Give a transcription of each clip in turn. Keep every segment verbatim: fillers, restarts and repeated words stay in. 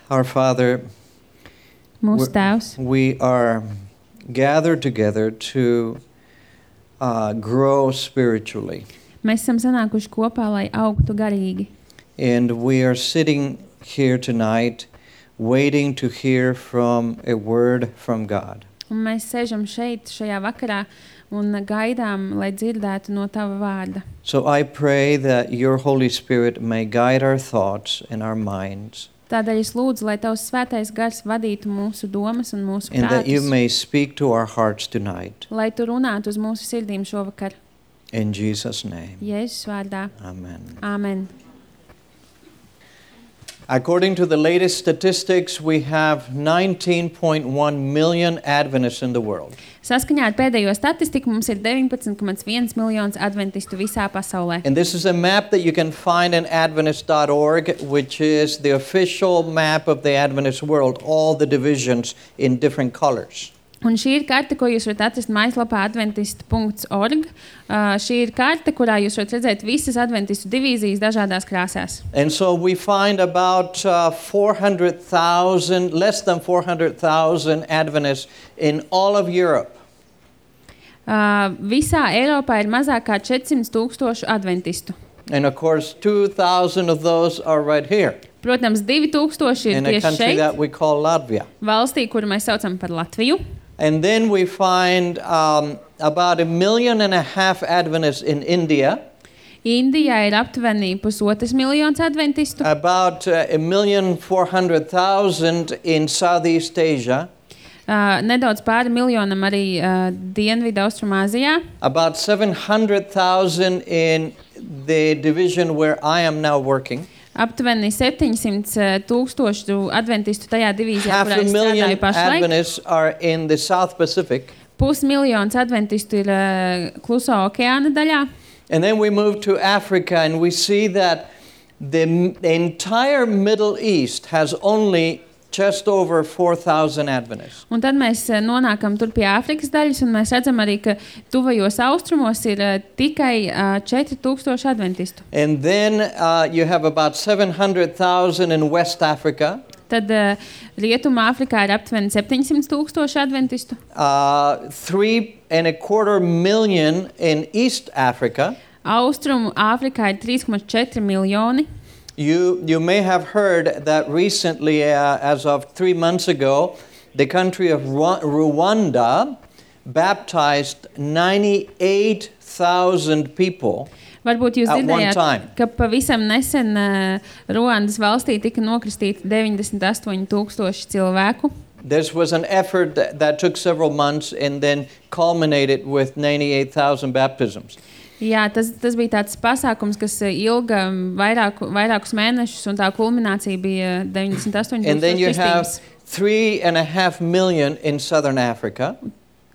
Our Father, Mūsu Tēvs, we are gathered together to uh, grow spiritually. mēs esam sanākuši kopā, lai augtu garīgi. And we are sitting here tonight waiting to hear from a word from God. Un mēs sēžam šeit, šajā vakarā, un gaidām, lai dzirdētu no Tava vārda. So I pray that your Holy Spirit may guide our thoughts and our minds. Tādēļ es lūdzu, lai Tavs svētais gars vadītu mūsu domas un mūsu And that you prātus, may speak to our hearts tonight. lai Tu runātu uz mūsu sirdīm šovakar. In Jesus' name. Jēzus vārdā. Amen. Āmen. According to the latest statistics, we have nineteen point one million Adventists in the world. Saskaņā ar pēdējo statistiku mums ir deviņpadsmit komats viens miljons adventistu visā pasaulē. And this is a map that you can find in adventist dot org, which is the official map of the Adventist world, all the divisions in different colors. Un šī ir karte, ko jūs varat atrast mājaslapā adventist dot org. Uh, šī ir karte, kurā jūs varat redzēt visas adventistu divīzijas dažādās krāsās. And so we find about uh, four hundred thousand, less than four hundred thousand Adventists in all of Europe. Uh, visā Eiropā ir mazāk kā četrsimt tūkstošu adventistu. And of course, two thousand of those are right here Protams, divi tūkstoši ir in a tieši country šeit, that we call Latvia. valstī, kuru mēs saucam par Latviju. And then we find um, about a million and a half Adventists in India, Indijā ir aptuveni pusotrs miljons adventistu, about uh, a million four hundred thousand in Southeast Asia, uh, nedaudz pāri miljonam arī uh, Dienvidu Austrumāzijā, about seven hundred thousand in the division where I am now working, aptuveni septiņsimt tūkstošu adventistu tajā divīzijā, half kurā a es million strādāju pašlaik. Adventists are in the South Pacific, Pusmiljons adventistu ir uh, Klusā okeāna daļā. and then we move to Africa and we see that the m- entire Middle East has only just over four thousand Adventists. Un tad mēs uh, nonākam tur pie Āfrikas daļas, un mēs redzam arī, ka tuvajos austrumos ir uh, tikai uh, četri tūkstoši adventistu. And then uh, you have about seven hundred thousand in West Africa, Tad uh, Rietumā Āfrikā ir aptuveni septiņsimt tūkstoši adventistu, uh, three and a quarter million in East Africa. Austrumu Āfrikā ir trīs komats četri miljoni. You, you may have heard that recently, uh, as of three months ago, the country of Ru- Rwanda baptized ninety-eight thousand people. Varbūt jūs At one dzirdējāt, time. ka pavisam nesen uh, Ruandas valstī tika nokristīti deviņdesmit astoņi tūkstoši cilvēku. This was an effort that, that took several months and then culminated with ninety-eight thousand baptisms. Jā, tas, tas bija tāds pasākums, kas uh, ilga vairāku, vairākus mēnešus, un tā kulminācija bija deviņdesmit astoņi And then you tūkstoši have kristības. three and a half million in Southern Africa.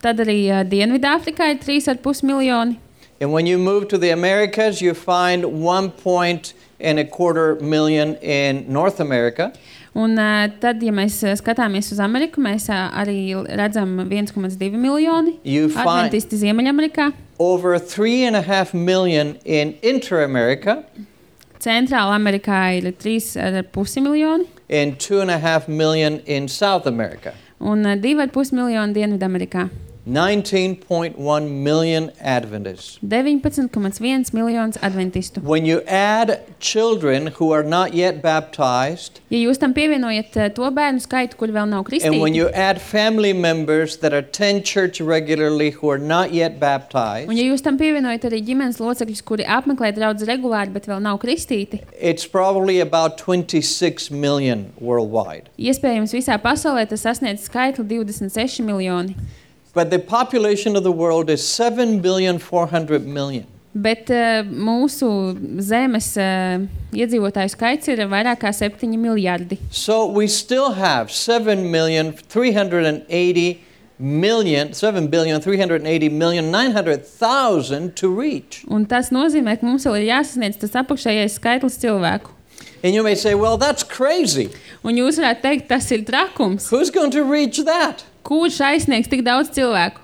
Tad arī uh, Dienvidāfrikā ir trīs ar pus miljoni. And when you move to the Americas, you find one point and a quarter million in North America. Un uh, tad, ja mēs uh, skatāmies uz Ameriku, mēs uh, arī redzam viens komats divi miljoni You find adventisti Ziemeļamerikā. over three and a half million in Inter-America Centrāla Amerikā ir trīs ar pusi miljoni and two and a half million in South America. un uh, divi ar pus miljoni Dienvidamerikā. nineteen point one million Adventists. deviņpadsmit komats viens miljons adventistu. When you add children who are not yet baptized, Ja jūs tam pievienojat uh, to bērnu skaitu, kuri vēl nav and when kristīti, you add family members that attend church regularly who are not yet baptized, un ja jūs tam pievienojat arī ģimenes locekļus, kuri apmeklē draudzi regulāri, bet vēl nav kristīti, it's probably about twenty-six million worldwide. iespējams visā pasaulē tas sasniedz skaitli divdesmit seši miljoni. But the population of the world is seven billion four hundred million. Bet uh, mūsu zemes uh, iedzīvotāju skaits ir vairāk kā septiņi miljardi. So we still have seven million three hundred eighty million, seven billion three hundred eighty million nine hundred thousand to reach. Un tas nozīmē, ka mums vēl ir jāsasniedz tas apakšējais skaitlis cilvēku. And you may say, well, that's crazy. Un jūs varētu teikt, tas ir trakums. Who's going to reach that? Kurš aizsniegs tik daudz cilvēku?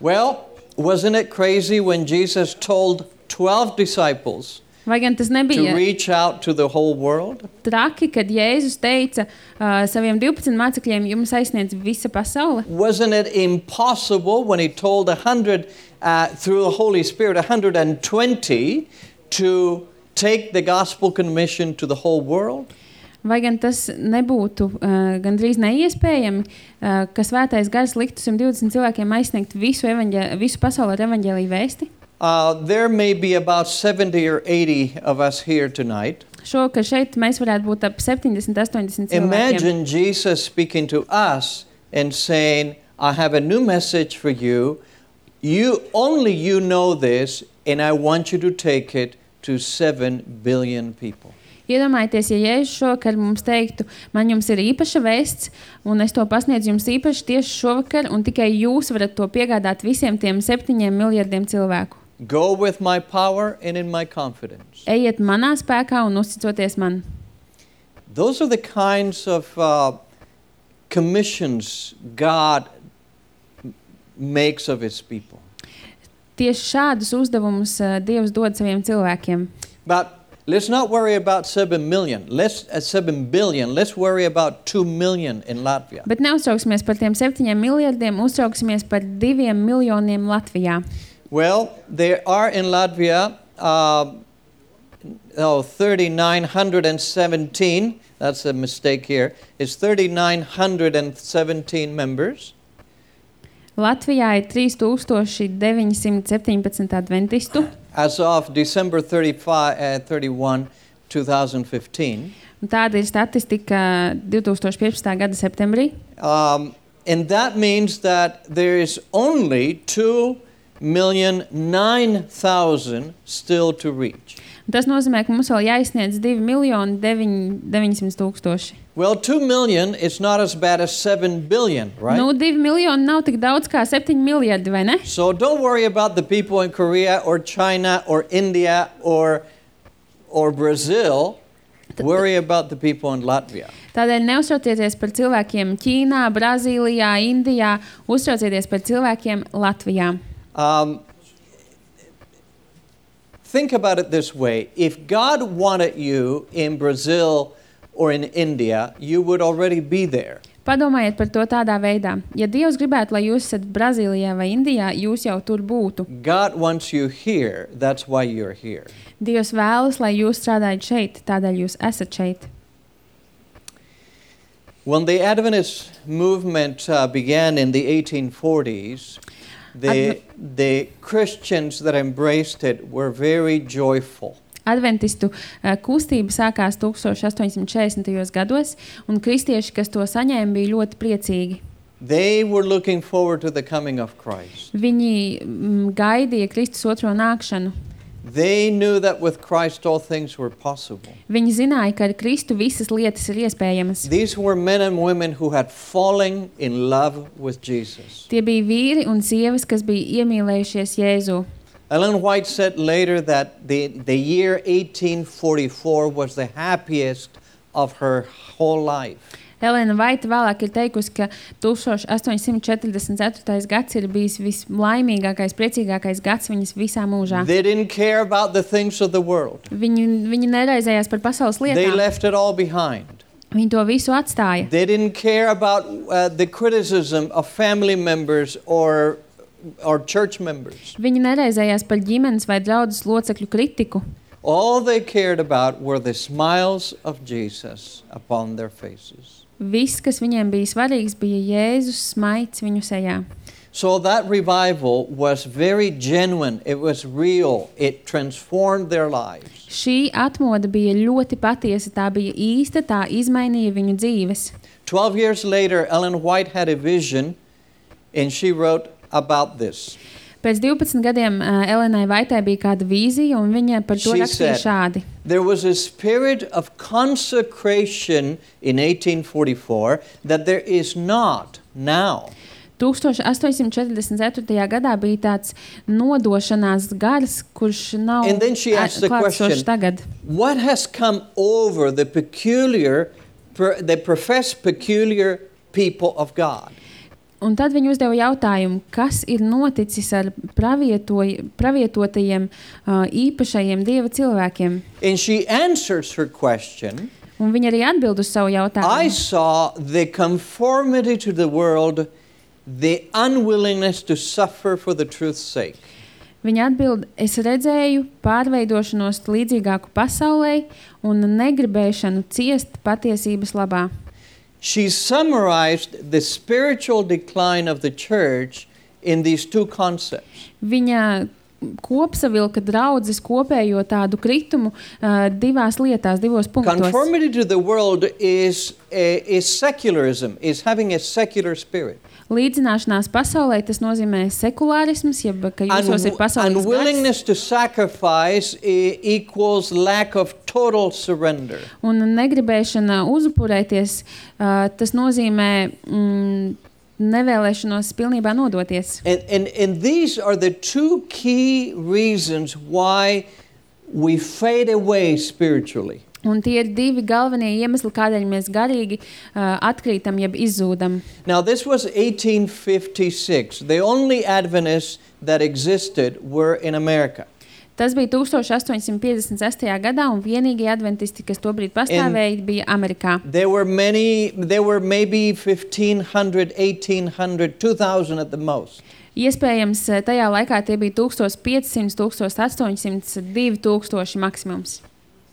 Well, wasn't it crazy when Jesus told twelve disciples Vai gan tas to nebija reach out to the whole world? traki, kad Jēzus teica uh, saviem divpadsmit mācekļiem, jums aizsniedz visa pasaule? Wasn't it impossible when he told a hundred, uh, through the Holy Spirit, one hundred twenty to take the gospel commission to the whole world? Vai gan tas nebūtu uh, gandrīz neiespējami, uh, ka svētais gars liktu simt divdesmit cilvēkiem aizsniegt visu, evaņģē, visu pasauli ar evaņģēliju vēsti? Uh, there may be about seventy or eighty of us here tonight. Šovakar šeit mēs varētu būt ap septiņdesmit, astoņdesmit cilvēkiem. Imagine Jesus speaking to us and saying, I have a new message for you. You only you know this, and I want you to take it to seven billion people. Iedomājieties, ja Jēzus šovakar mums teiktu, man jums ir īpaša vēsts, un es to pasniedzu jums īpaši tieši šovakar, un tikai jūs varat to piegādāt visiem tiem septiņiem miljardiem cilvēku. Go with my power and in my confidence. Ejiet manā spēkā un uzticoties man. Those are the kinds of uh, commissions God makes of his people. Tieši šādus uzdevumus uh, Dievs dod saviem cilvēkiem. But let's not worry about seven million. Let's uh, seven billion. Let's worry about two million in Latvia. Bet neuztrauksimies par tiem septiņiem miljardiem, uztrauksimies par diviem miljoniem Latvijā. Well, there are in Latvia uh, oh, three thousand nine hundred seventeen. That's a mistake here. It's three thousand nine hundred seventeen members. Latvijā ir trīs tūkstoši deviņsimt septiņpadsmit adventistu. As of December thirty-first, thirty-first, twenty fifteen. Un tāda ir statistika divtūkstoš piecpadsmitā gada septembrī. Um, and that means that there is only two million nine thousand still to reach. Un tas nozīmē, ka mums vēl jāizsniedz divi miljoni deviņsimt tūkstoši. Well, two million is not as bad as seven billion, right? Nu, divi miljoni nav tik daudz kā septiņi miljardi, vai ne? So don't worry about the people in Korea or China or India or or Brazil. Worry about the people in Latvia. Tādēļ neuztraucieties par cilvēkiem Ķīnā, Brazīlijā, Indijā, uztraucieties par cilvēkiem Latvijā. Um, think about it this way. If God wanted you in Brazil or in India, you would already be there. Padomājiet par to tādā veidā. Ja Dievs gribētu, lai jūs esat Brazīlijā vai Indijā, jūs jau tur būtu. God wants you here. That's why you're here. Dievs vēlas, lai jūs strādājat šeit, tādēļ jūs esat šeit. When the Adventist movement uh, began in the eighteen forties, the, the Christians that embraced it were very joyful. Adventistu uh, kustība sākās astoņdesmit četrdesmitajos gados, un kristieši, kas to saņēma, bija ļoti priecīgi. They were looking forward to the coming of Christ. Viņi mm, gaidīja Kristus otro nākšanu. They knew that with Christ all things were possible. Viņi zināja, ka ar Kristu visas lietas ir iespējamas. These were men and women who had fallen in love with Jesus. Tie bija vīri un sievas, kas bija iemīlējušies Jēzu. Ellen White said later that the, the year eighteen forty-four was the happiest of her whole life. Elena Vaita vēlāk ir teikusi, ka astoņdesmit četrdesmit ceturtais gads ir bijis vislaimīgākais, priecīgākais gads viņas visā mūžā. They didn't care about the things of the world. Viņi, viņi neraizējās par pasaules They lietām. left it all behind. Viņi to visu atstāja. They didn't care about uh, the criticism of family members or, or church members. Viņi neraizējās par ģimenes vai draudzes locekļu kritiku. All they cared about were the smiles of Jesus upon their faces. Viss, kas viņiem bija svarīgs, bija Jēzus smaids viņu sejā. So that revival was very genuine. It was real. It transformed their lives. Šī atmoda bija ļoti patiesa, tā bija īsta, tā izmainīja viņu dzīves. Twelve years later, Ellen White had a vision, and she wrote about this. Pēc divpadsmit gadiem uh, Elenai Vaitai bija kāda vīzija, un viņa par to She rakstīja said, šādi. There was a spirit of consecration in eighteen forty-four that there is not now. astoņdesmit četrdesmit ceturtajā gadā bija tāds nodošanās gars, kurš nav And then she asked the klātsošs question, tagad. what has come over the peculiar, per, the professed peculiar people of God? Un tad viņi uzdeva jautājumu, kas ir noticis ar pravietoj, pravietotajiem uh, īpašajiem Dieva cilvēkiem. And she answers her question. Un viņi arī atbild uz savu I jautājumu. saw the conformity to the world, the unwillingness to suffer for the truth's sake. Viņa atbild, es redzēju pārveidošanos līdzīgāku pasaulē un negribēšanu ciest patiesības labā. She summarized the spiritual decline of the church in these two concepts. Viņa kopsavilka draudzes kopējo tādu kritumu uh, divās lietās, divos punktos. Conformity to the world is, uh, is secularism, is having a secular spirit. Līdzināšanās pasaulē tas nozīmē sekulārisms, jeb ka jūsos ir pasaulīgs gars. Unwillingness to sacrifice e- equals lack of total surrender. Un negribēšana uzupurēties, uh, tas nozīmē mm, nevēlēšanos pilnībā nodoties. And, and, and these are the two key reasons why we fade away spiritually. Un tie ir divi galvenie iemesli, kādēļ mēs garīgi uh, atkrītam, jeb izzūdam. Now, this was eighteen fifty-six. The only Adventists that existed were in America. Tas bija tūkstoš astoņsimt piecdesmit sestajā gadā, un vienīgie adventisti, kas tobrīd pastāvēja, bija Amerikā. There were many, there were maybe fifteen hundred, eighteen hundred, two thousand at the most. Iespējams, tajā laikā tie bija tūkstoš piecsimt, tūkstoš astoņsimt, divi tūkstoši maksimums.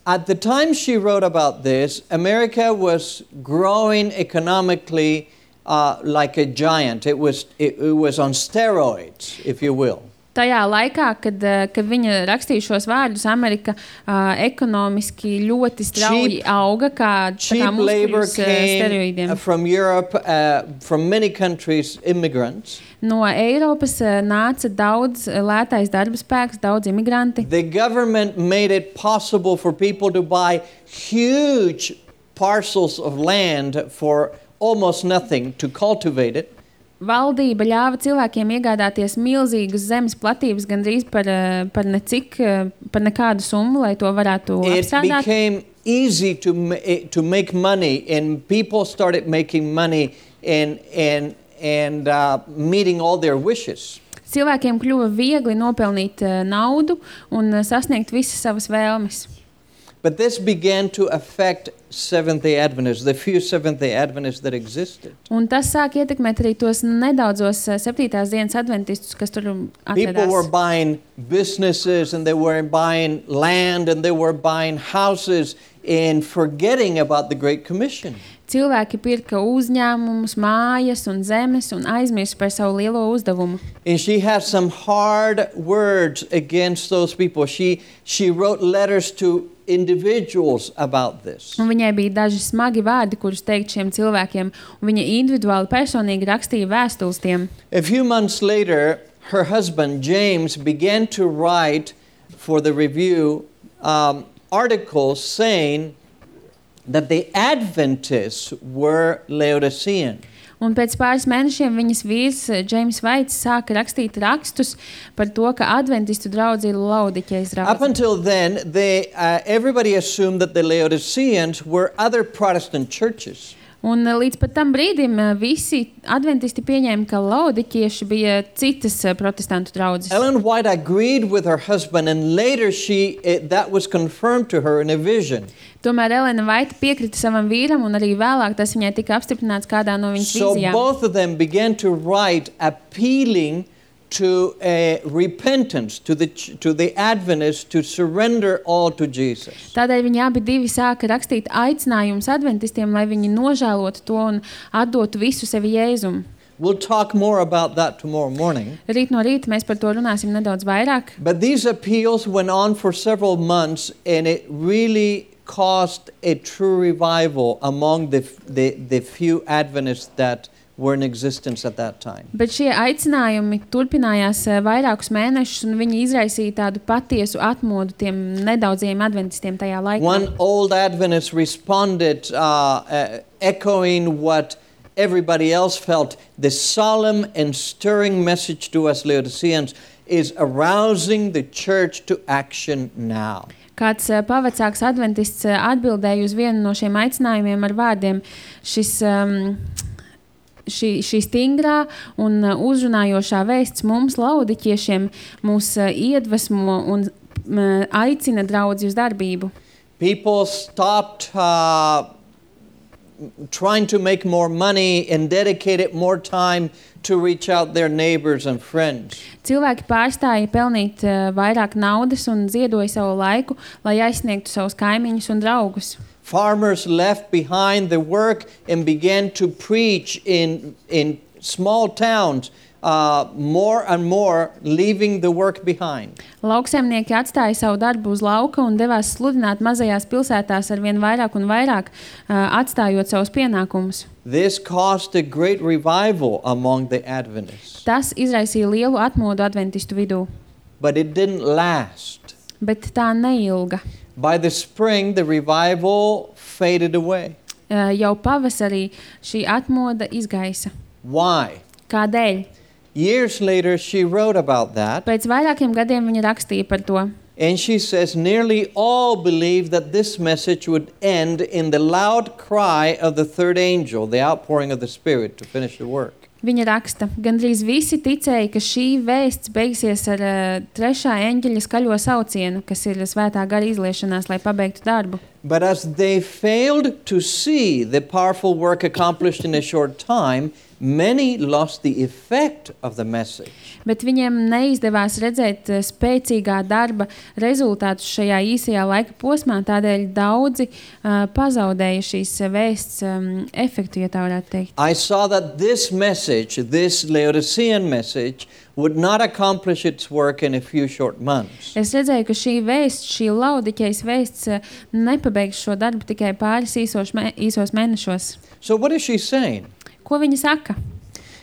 At the time she wrote about this, America was growing economically uh, like a giant. It was, it, it was on steroids, if you will. Tajā laikā, kad, uh, kad viņa rakstīja šos vārdus, Amerika uh, ekonomiski ļoti strauji Cheap- auga, kā, tā kā Cheap labor muskuļus uh, came steroīdiem. uh, from Europe, uh, from many countries, immigrants. No Eiropas uh, nāca daudz uh, lētais darba spēks, daudz imigranti. The government made it possible for people to buy huge parcels of land for almost nothing to cultivate it. Valdība ļāva cilvēkiem iegādāties milzīgas zemes platības gandrīz par, uh, par, necik, uh, par nekādu summu, lai to varētu It apstrādāt. became easy to, ma- eh, to make money, and people started making money and, and, and uh, meeting all their wishes. Cilvēkiem kļuva viegli nopelnīt uh, naudu un uh, sasniegt visas savas vēlmes. But this began to affect Seventh-day Adventists, the few Seventh-day Adventists that existed. Un tas sāk ietekmēt arī tos nedaudzos uh, septītās dienas adventistus, kas tur People were atradās. buying businesses, and they were buying land, and they were buying houses, and forgetting about the Great Commission. Cilvēki pirka uzņēmumus, mājas un zemes un aizmirst par savu lielo uzdevumu. And she had some hard words against those people. She, she wrote letters to individuals about this. Un viņai bija daži smagi vārdi, kurus teikt šiem cilvēkiem, un viņa individuāli personīgi rakstīja vēstules tiem. A few months later, her husband, James, began to write for the review um, articles saying that the Adventists were Laodicean. Un pēc pāris mēnešiem viņas vīrs Džeims Vaits sāka rakstīt rakstus par to, ka adventistu draudze ir Laodiķejas Up draudze. until then, they, uh, everybody assumed that the Laodiceans were other Protestant churches. Un uh, līdz pat tam brīdim uh, visi adventisti pieņēma, ka Laodiķieši bija citas uh, protestantu draudzes. Ellen White agreed with her husband, and later she it, that was confirmed to her in a vision. Tomēr Elena Vaita piekrita savam vīram, un arī vēlāk tas viņai tika apstiprināts kādā no viņas So vīzijām. both of them began to write appealing to a repentance, to the ch- to the Adventists to surrender all to Jesus. Tādēļ viņi abi divi sāka rakstīt aicinājumus adventistiem, lai viņi nožēlotu to un atdotu visu sevi Jēzum. We'll talk more about that tomorrow morning. Rīt no rīta mēs par to runāsim nedaudz vairāk. But these appeals went on for several months, and it really caused a true revival among the, the, the few Adventists that were in existence at that time. Bet šie aicinājumi turpinājās eh, vairākus mēnešus, un viņi izraisīja tādu patiesu atmodu tiem nedaudziem adventistiem tajā laikā. One old Adventist responded, uh, uh, echoing what everybody else felt. The solemn and stirring message to us Laodiceans is arousing the church to action now. Kāds uh, pavecāks adventists uh, atbildēja uz vienu no šiem aicinājumiem ar vārdiem: šis um, šī, šī stingrā un uh, uzrunājošā vēsts mums, laudiķiešiem, mūs uh, iedvesmo un uh, aicina draudzi uz darbību. People stopped uh, trying to make more money and dedicated more time to reach out their neighbors and friends. Cilvēki pārstāja pelnīt uh, vairāk naudas un ziedoja savu laiku, lai aizsniegtu savus kaimiņus un draugus. Farmers left behind the work and began to preach in, in small towns, uh, more and more, leaving the work behind. Lauksaimnieki atstāja savu darbu uz lauka un devās sludināt mazajās pilsētās ar vien vairāk un vairāk, uh, atstājot savus pienākumus. This caused a great revival among the Adventists. Tas izraisīja lielu atmodu adventistu vidū, But it didn't last. bet tā neilga. By the spring, the revival faded away. Uh, jau pavasarī šī atmoda izgaisa. Why? Kādēļ? Years later, she wrote about that. Pēc vairākiem gadiem viņa rakstīja par to. And she says, nearly all believed that this message would end in the loud cry of the third angel, the outpouring of the Spirit to finish the work. Viņa raksta, gandrīz visi ticēja, ka šī vēsts beigsies ar uh, trešā eņģeļa skaļo saucienu, kas ir svētā gara izliešanās, lai pabeigtu darbu. But as they failed to see the powerful work accomplished in a short time, many lost the effect of the message. Bet viņiem neizdevās redzēt uh, spēcīgā darba rezultātus šajā īsajā laika posmā, tādēļ daudzi uh, pazaudēja šīs vēsts um, efektu, ja tā varētu teikt. I saw that this message, this Laodicean message, would not accomplish its work in a few short months. Es redzēju, ka šī vēsts, šī laudiķejas vēsts uh, nepabeigs šo darbu tikai pāris īsos, mē, īsos mēnešos. So what is she saying? Ko viņa saka?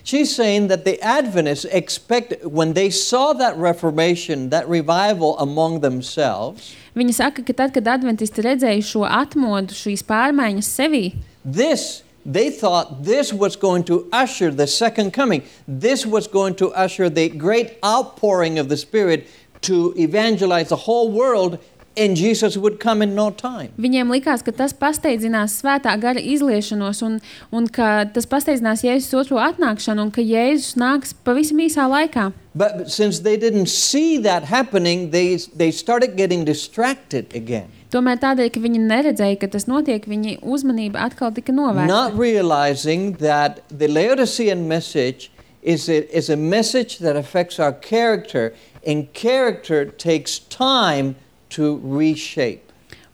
She's saying that the Adventists expect, when they saw that reformation, that revival among themselves, Viņa saka, ka tad, kad adventisti redzēja šo atmodu, šīs pārmaiņas sevī, this, they thought this was going to usher the second coming. This was going to usher the great outpouring of the Spirit to evangelize the whole world, and Jesus would come in no time. viņiem likās, ka tas pasteidzinās svētā gara izliešanos un, un ka tas pasteidzinās Jēzus otro atnākšanu un ka Jēzus nāks pavisam īsā laikā. But since they didn't see that happening, they, they started getting distracted again. Tomēr tādēļ, ka viņi neredzēja, ka tas notiek, viņi uzmanība atkal tika novērsta. Not realizing that the Laodicean message is a, is a message that affects our character, and character takes time to reshape.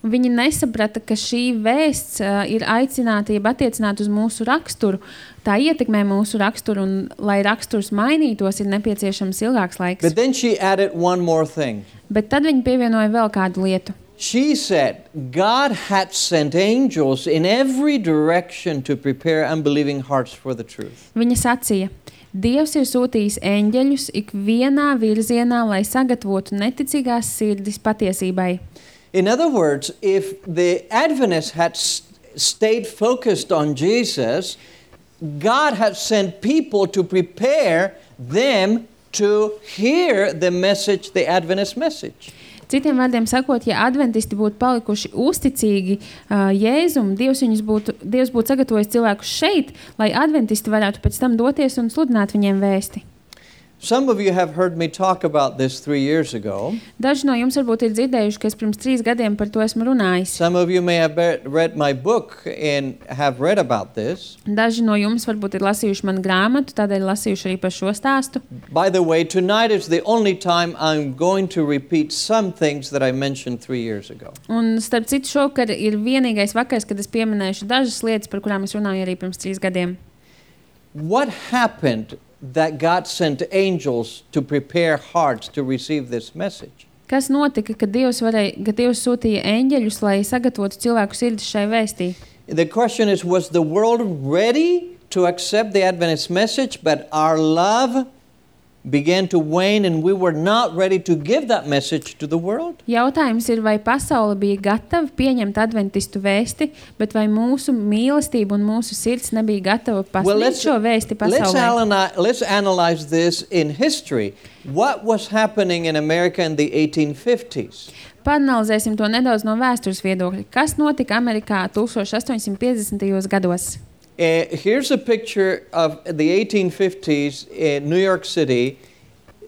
Un viņi nesaprata, ka šī vēsts uh, ir aicinātība attiecināt uz mūsu raksturu. Tā ietekmē mūsu raksturu, un, lai raksturs mainītos, ir nepieciešams ilgāks laiks. But then she added one more thing. Bet tad viņi pievienoja vēl kādu lietu. She said God had sent angels in every direction to prepare unbelieving hearts for the truth. Viņa sacīja, Dievs ir sūtījis eņģeļus ikvienā virzienā, lai sagatavotu neticīgās sirdis patiesībai. In other words, if the Adventists had st- stayed focused on Jesus, God had sent people to prepare them to hear the message, the Adventist message. Citiem vārdiem sakot, ja adventisti būtu palikuši uzticīgi uh, Jēzum, Dievs, viņus būtu, Dievs būtu sagatavojis cilvēkus šeit, lai adventisti varētu pēc tam doties un sludināt viņiem vēsti. Some of you have heard me talk about this three years ago. Daži no jums varbūt ir dzirdējuši, ka es pirms trīs gadiem par to esmu runājis. Some of you may have be- read my book and have read about this. Daži no jums varbūt ir lasījuši manu grāmatu, tādēļ lasījuši arī par šo stāstu. By the way, tonight is the only time I'm going to repeat some things that I mentioned three years ago. Un starp citu šovakar ir vienīgais vakars, kad es pieminēšu dažas lietas, par kurām es runāju arī pirms trīs gadiem. What happened that God sent angels to prepare hearts to receive this message? Kas notika, kad Dievs, varēja, kad Dievs sūtīja eņģeļus, lai sagatavotu cilvēku sirdis šai vēstī? The question is, was the world ready to accept the Adventist message, but our love began to wane and we were not ready to give that message to the world? Jautājums ir, vai pasaule bija gatava pieņemt adventistu vēsti, bet vai mūsu mīlestība un mūsu sirds nebija gatava pasniegt let's, šo vēsti let's, pasaulē? analyze, let's analyze this in history. What was happening in America in the eighteen fifties? Paanalizēsim to nedaudz no vēstures viedokļa. Kas notika Amerikā astoņdesmit piecdesmitajos gados? Uh, here's a picture of the eighteen fifties in New York City,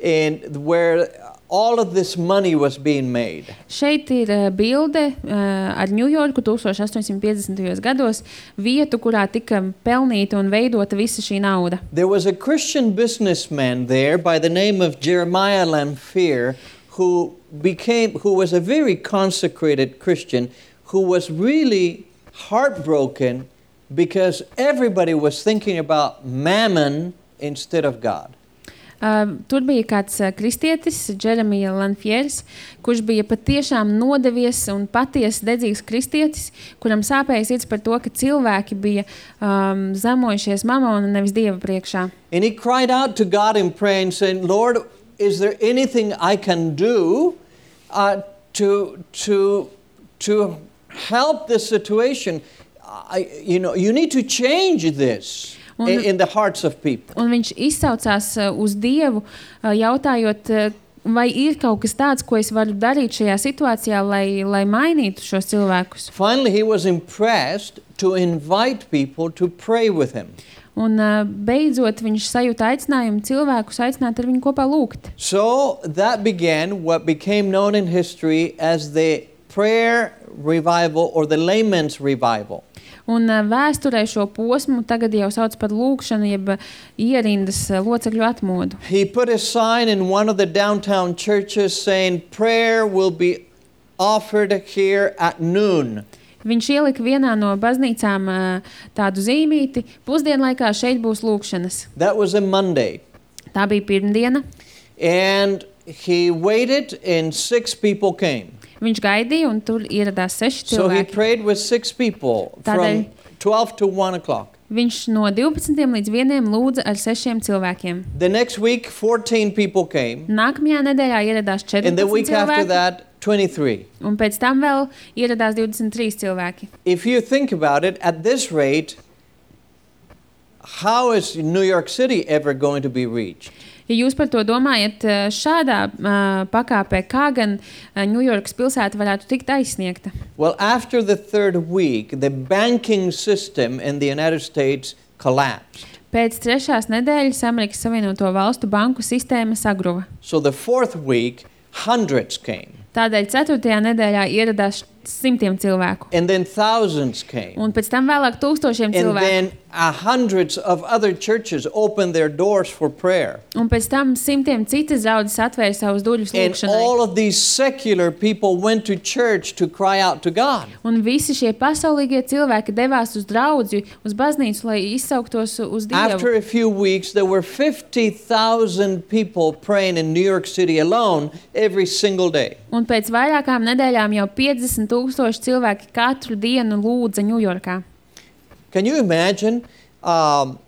and where all of this money was being made. Šeit ir uh, bilde uh, ar Ņujorku eighteen gados, vietu, kurā tika pelnīta un veidota visa šī nauda. There was a Christian businessman there by the name of Jeremiah Lanphier, who became, who was a very consecrated Christian, who was really heartbroken because everybody was thinking about mammon instead of God. Uh, tur bija kāds uh, kristietis, Jeremija Lanfieris, kurš bija patiešām nodevies un patiesi dedzīgs kristietis, kuram sāpēja sirds par to, ka cilvēki bija um, zemojušies mamonu un nevis Dieva priekšā. And he cried out to God in prayer and said, Lord, is there anything I can do uh, to, to, to help this situation? I, you know, you need to change this. Un, in the hearts of people. Un viņš izsaucās uh, uz Dievu, uh, jautājot, uh, vai ir kaut kas tāds, ko es varu darīt šajā situācijā, lai, lai mainītu šos cilvēkus. Finally, he was impressed to invite people to pray with him. Un uh, beidzot viņš sajūta aicinājumu cilvēkus aicināt ar viņu kopā lūgt. So that began what became known in history as the prayer revival or the layman's revival. Un vēsturē šo posmu tagad jau sauc par lūgšanu, jeb ierindas locekļu atmodu. He put a sign in one of the downtown churches saying, prayer will be offered here at noon. Viņš ielika vienā no baznīcām tādu zīmīti, pusdienlaikā šeit būs lūgšanas. That was a Monday. Tā bija pirmdiena. And he waited and six people came. Viņš gaidīja, un tur ieradās seši cilvēki. So he prayed with six people from twelve to one o'clock. Viņš no divpadsmitiem līdz vieniem lūdza ar sešiem cilvēkiem. The next week, fourteen people came. Nākamajā nedēļā ieradās četrpadsmit cilvēki. And the week after that, twenty-three. Un pēc tam vēl ieradās divdesmit trīs cilvēki. If you think about it, at this rate, how is New York City ever going to be reached? Ja jūs par to domājat šādā uh, pakāpē, kā gan uh, Ņujorkas pilsēta varētu tikt aizsniegta? Well, after the third week, the banking system in the United States collapsed. Pēc trešās nedēļas Amerikas Savienoto Valstu banku sistēma sagruva. So the fourth week, hundreds came. Tādēļ ceturtajā nedēļā ieradās simtiem cilvēku. And then thousands came. Un pēc tam vēlāk tūkstošiem cilvēku. And then uh, hundreds of other churches opened their doors for prayer. Un pēc tam simtiem citas draudzes atvēra savus durvis lūgšanai. And all of these secular people went to church to cry out to God. Un visi šie pasaulīgie cilvēki devās uz draudzi, uz baznīcu, lai izsauktos uz Dievu. After a few weeks, there were fifty thousand people praying in New York City alone every single day. Un pēc vairākām nedēļām jau piecdesmit tūkstoši cilvēki katru dienu lūdza Ņujorkā. Can you imagine um,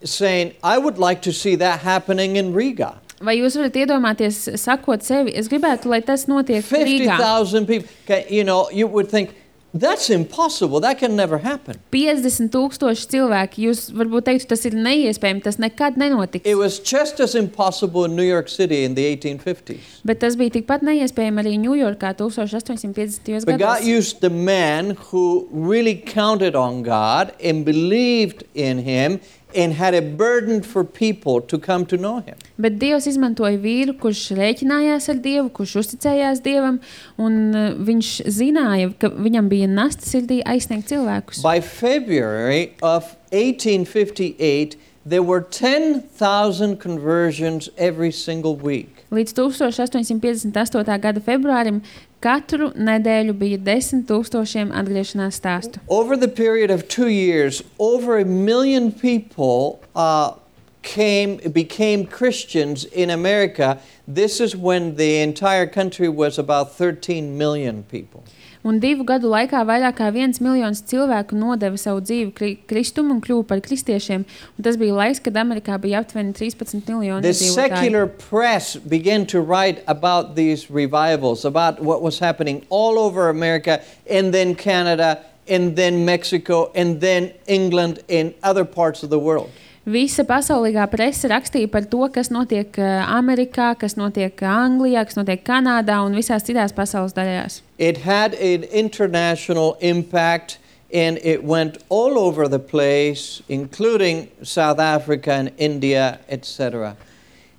saying, I would like to see that happening in Riga? Vai jūs varat iedomāties, sakot sevi, es gribētu, lai tas notiek Rīgā? fifty thousand people. Okay, you know, you would think, that's impossible. That can never happen. piecdesmit tūkstoši cilvēki. Jūs varbūt teiktu, tas ir neiespējami, tas nekad nenotiks. It was just as impossible in New York City in the eighteen fifties. Bet tas bija tikpat neiespējami arī Ņujorkā eighteen fifty But God gados. used the man who really counted on God and believed in him and had a burden for people to come to know him. Bet Dievs izmantoja vīru, kurš rēķinājās ar Dievu, kurš uzticējās Dievam, un uh, viņš zināja, ka viņam bija nasta sirdī aizsniegt cilvēkus. By February of eighteen fifty-eight, there were ten thousand conversions every single week. Līdz eighteen fifty-eight gada februārim katru nedēļu bija desmit tūkstošiem atgriešanās stāstu. Over the period of two years, over a million people uh, came, became Christians in America. This is when the entire country was about thirteen million people. Un divu gadu laikā vairāk kā viens miljons cilvēku nodeva savu dzīvi kri kristumu un kļuva par kristiešiem. Un tas bija laiks, kad Amerikā bija aptuveni trīspadsmit miljoni The iedzīvotāji. secular press began to write about these revivals, about what was happening all over America, and then Canada, and then Mexico, and then England, and other parts of the world. Visa pasaulīgā prese rakstīja par to, kas notiek Amerikā, kas notiek Anglijā, kas notiek Kanādā un visās citās pasaules daļās. It had an international impact, and it went all over the place, including South Africa and India, et cetera.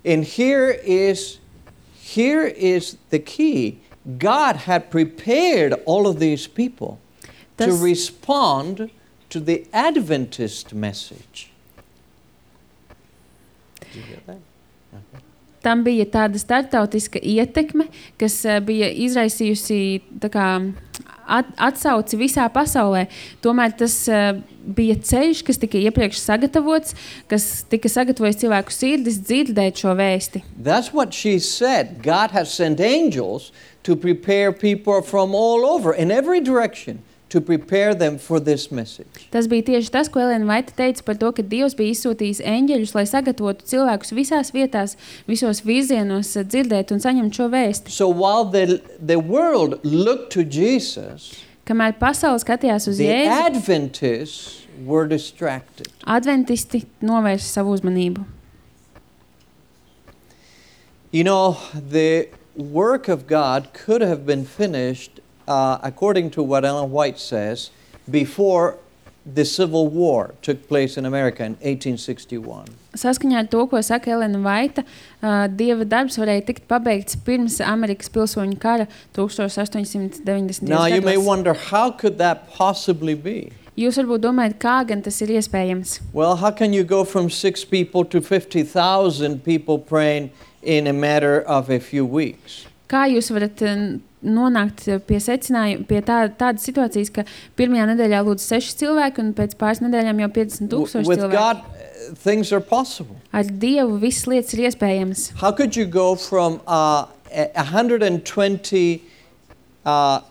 And here is, here is the key. God had prepared all of these people to Tas- respond to the Adventist message. Did you get that? Okay. Tam bija tāda startautiska ietekme, kas uh, bija izraisījusi tā kā, at, atsauci visā pasaulē. Tomēr tas uh, bija ceļš, kas tika iepriekš sagatavots, kas tika sagatavojis cilvēku sirdis dzirdēt šo vēsti. That's what she said. God has sent angels to prepare people from all over, in every direction, to prepare them for this message. Tas bija tieši tas, ko Elena Vaita teica par to, ka Dievs bija izsūtījis eņģeļus, lai sagatavotu cilvēkus visās vietās, visos virzienos uh, dzirdēt un saņemt šo vēsti. So while the, the world looked to Jesus, Kamēr pasaule skatījās uz the Jēzu, Adventists were distracted. adventisti novērsa savu uzmanību. You know, the work of God could have been finished, uh, according to what Ellen White says, before the Civil War took place in America in eighteen sixty-one. Saskaņā ar to, ko saka Elena Vaita, uh, Dieva darbs varēja tikt pabeigts pirms Amerikas pilsoņu kara eighteen Now you may gados. wonder, how could that possibly be? Jūs varbūt domājat, kā gan tas ir iespējams? Well, how can you go from six people to fifty thousand people praying in a matter of a few weeks? Kā jūs varat uh, nonākt pie secinājuma, pie tā, tādas situācijas, ka pirmajā nedēļā lūdzu seši cilvēki un pēc pāris nedēļām jau piecdesmit W- tūkstoši With cilvēki? God, uh, things are possible. Ar Dievu visas lietas ir iespējamas. How could you go from uh, a- one hundred twenty, uh,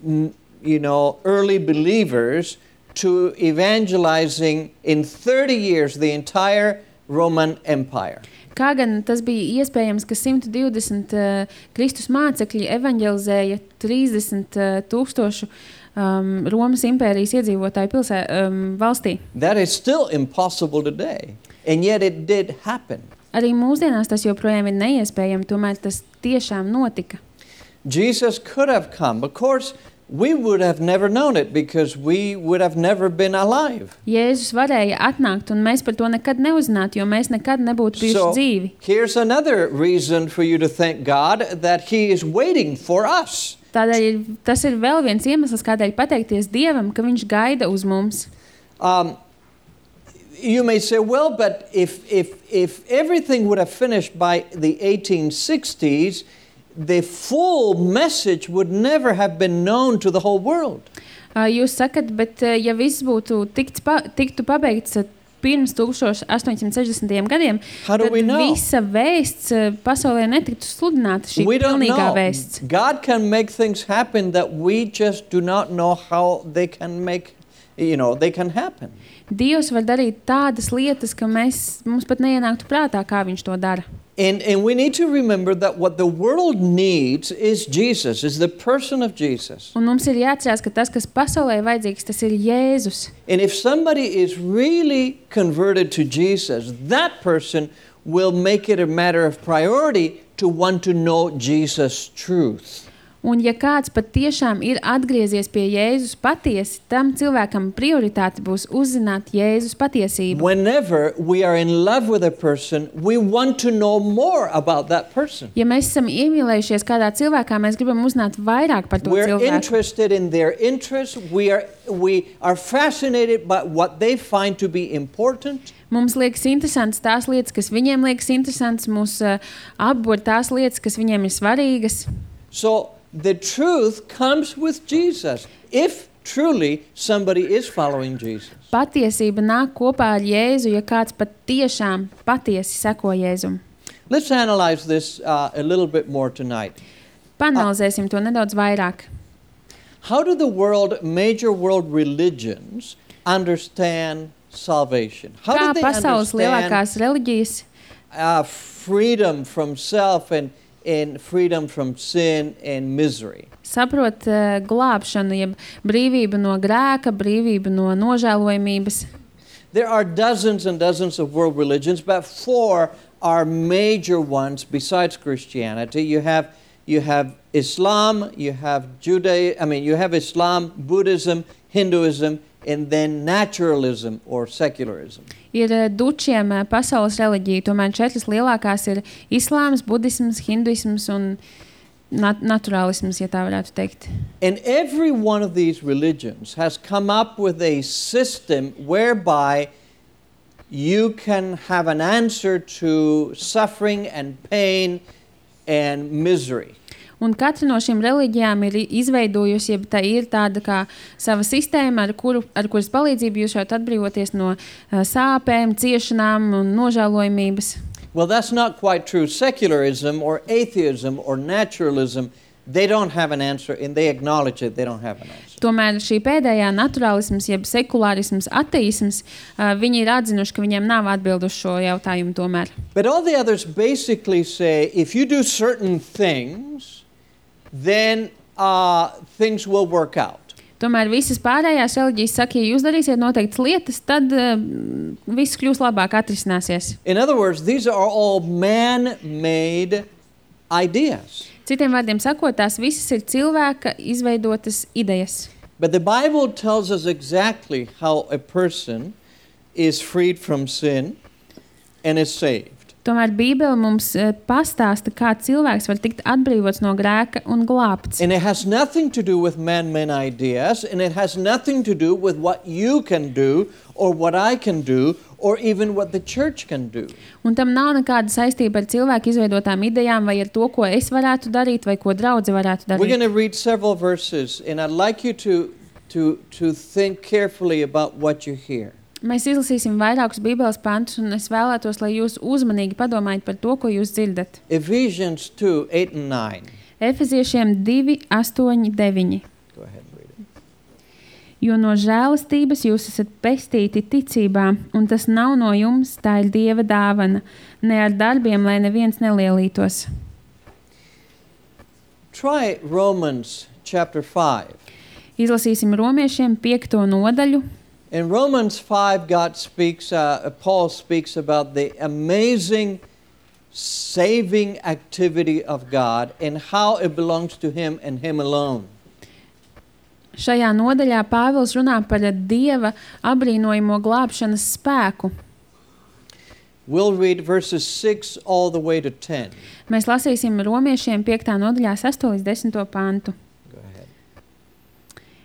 n- you know, early believers to evangelizing in thirty years the entire Roman Empire? Kā gan tas bija iespējams, ka simt divdesmit uh, Kristus mācekļi evanģelizēja trīsdesmit uh, tūkstošu um, Romas impērijas iedzīvotāju pilsē, um, valstī? That is still impossible today, and yet it did happen. Arī mūsdienās tas joprojām ir neiespējami, tomēr tas tiešām notika. Jesus could have come. Of course, we would have never known it because we would have never been alive. Jēzus varēja atnākt, un mēs par to nekad neuzzinātu, jo mēs nekad nebūtu bijuši So dzīvi. here's another reason for you to thank God that He is waiting for us. Tādēļ ir, tas ir vēl viens iemesls, kādēļ pateikties Dievam, ka Viņš gaida uz mums. Um, you may say, well, but if, if, if everything would have finished by the eighteen sixties, the full message would never have been known to the whole world. Uh, Jūs sakat, bet uh, ja viss būtu tikts pa, tiktu pabeigts uh, pirms eighteen sixty gadiem, How do tad we know? visa vēsts uh, pasaulē netiktu sludināta, šī We don't pilnīgā know. vēsts. God can make things happen that we just do not know how they can make, you know, they can happen. Dievs var darīt tādas lietas, ka mēs, mums pat neienāktu prātā, kā Viņš to dara. And, and we need to remember that what the world needs is Jesus, is the person of Jesus. Un mums ir jāatcerās, ka tas, kas pasaulē ir vajadzīgs, tas ir Jēzus. And if somebody is really converted to Jesus, that person will make it a matter of priority to want to know Jesus' truth. Un ja kāds pat tiešām ir atgriezies pie Jēzus patiesi, tam cilvēkam prioritāte būs uzzināt Jēzus patiesību. Whenever we are in love with a person, we want to know more about that person. Ja mēs esam iemīlējušies kādā cilvēkā, mēs gribam uzzināt vairāk par to We're cilvēku. interested in their interests. We are, we are fascinated by what they find to be important. Mums liekas interesants tās lietas, kas viņiem liekas interesants, mūs uh, apbur tās lietas, kas viņiem ir svarīgas. So the truth comes with Jesus. If truly somebody is following Jesus. Patiesība nāk kopā ar Jēzu, ja kāds pat tiešām patiesi seko Jēzum. Let's analyze this uh, a little bit more tonight. Panalizēsim to nedaudz vairāk. How do the world, major world religions understand salvation? How Kā do they pasaules understand lielākās reliģijas uh, freedom from self and, and freedom from sin and misery? saprot uh, glābšanu, jeb brīvību no grēka, brīvību no nožēlojamības? There are dozens and dozens of world religions, but four are major ones besides Christianity. You have you have Islam, you have Judaism, I mean you have Islam, Buddhism, Hinduism, and then naturalism or secularism. Ir uh, dučiem uh, pasaules reliģija, tomēr četras lielākās ir islāms, budisms, hinduisms un nat naturālisms, ja tā varētu teikt. And every one of these religions has come up with a system whereby you can have an answer to suffering and pain and misery. Un katra no šīm reliģijām ir izveidojusi, ja tā ir tāda kā sava sistēma, ar, kuru, ar kuras palīdzību jūs varat atbrīvoties no uh, sāpēm, ciešanām un nožēlojumības. Well, that's not quite true. Secularism or atheism or naturalism, they don't have an answer, and they acknowledge it, they don't have an answer. Tomēr šī pēdējā naturālisms, jeb sekulārisms, ateisms, uh, viņi ir atzinuši, ka viņiem nav atbildu uz šo jautājumu tomēr. But all the others basically say, if you do certain things, then uh, things will work out. Tomēr visas pārējās reliģijas saka, ja jūs darīsiet noteiktas lietas, tad uh, viss kļūs labāk, atrisināsies. In other words, these are all man-made ideas. Citiem vārdiem sakot, tās visas ir cilvēka izveidotas idejas. But the Bible tells us exactly how a person is freed from sin and is saved. Tomēr Bībele mums uh, pastāsta, kā cilvēks var tikt atbrīvots no grēka un glābts. And it has nothing to do with man-made ideas, and it has nothing to do with what you can do or what I can do or even what the church can do. Un tam nav nekāda saistība ar cilvēku izveidotām idejām vai ar to, ko es varētu darīt vai ko draudze varētu darīt. We're going to read several verses, and I'd like you to, to, to think carefully about what you hear. Mēs izlasīsim vairākus Bībeles pantus, un es vēlētos, lai jūs uzmanīgi padomājat par to, ko jūs dzirdat. Ephesians two, eight and nine. Efeziešiem divi, astoņi, deviņi. Go ahead and read it. Jo no žēlastības jūs esat pestīti ticībā, un tas nav no jums, tā ir Dieva dāvana, ne ar darbiem, lai neviens nelielītos. Try Romans chapter five. Izlasīsim Romiešiem piekto nodaļu. In Romans five, God speaks, uh, Paul speaks about the amazing saving activity of God and how it belongs to Him and Him alone. Šajā nodaļā Pāvils runā par Dieva abrīnojamo glābšanas spēku. We'll read verses six all the way to ten. Mēs lasīsim Romiešiem piektā nodaļā sesto līdz desmito pantu.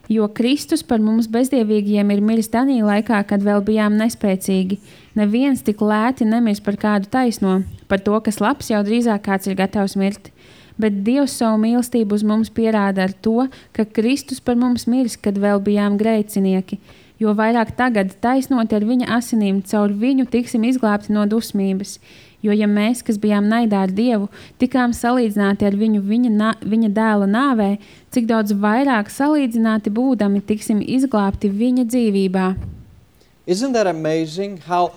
Jo Kristus par mums bezdievīgiem ir miris tanī laikā, kad vēl bijām nespēcīgi. Neviens tik lēti nemirs par kādu taisno, par to, kas labs jau drīzāk kāds ir gatavs mirt. Bet Dievs savu mīlestību uz mums pierāda ar to, ka Kristus par mums miris, kad vēl bijām grēcinieki. Jo vairāk tagad taisnoti ar viņa asinīm, caur viņu tiksim izglābti no dusmības. Jo ja mēs, kas bijām naidā ar Dievu, tikām salīdzināti ar viņu viņa, nā, viņa dēla nāvē, cik daudz vairāk salīdzināti būdami tiksim izglābti viņa dzīvībā. Isn't that amazing how,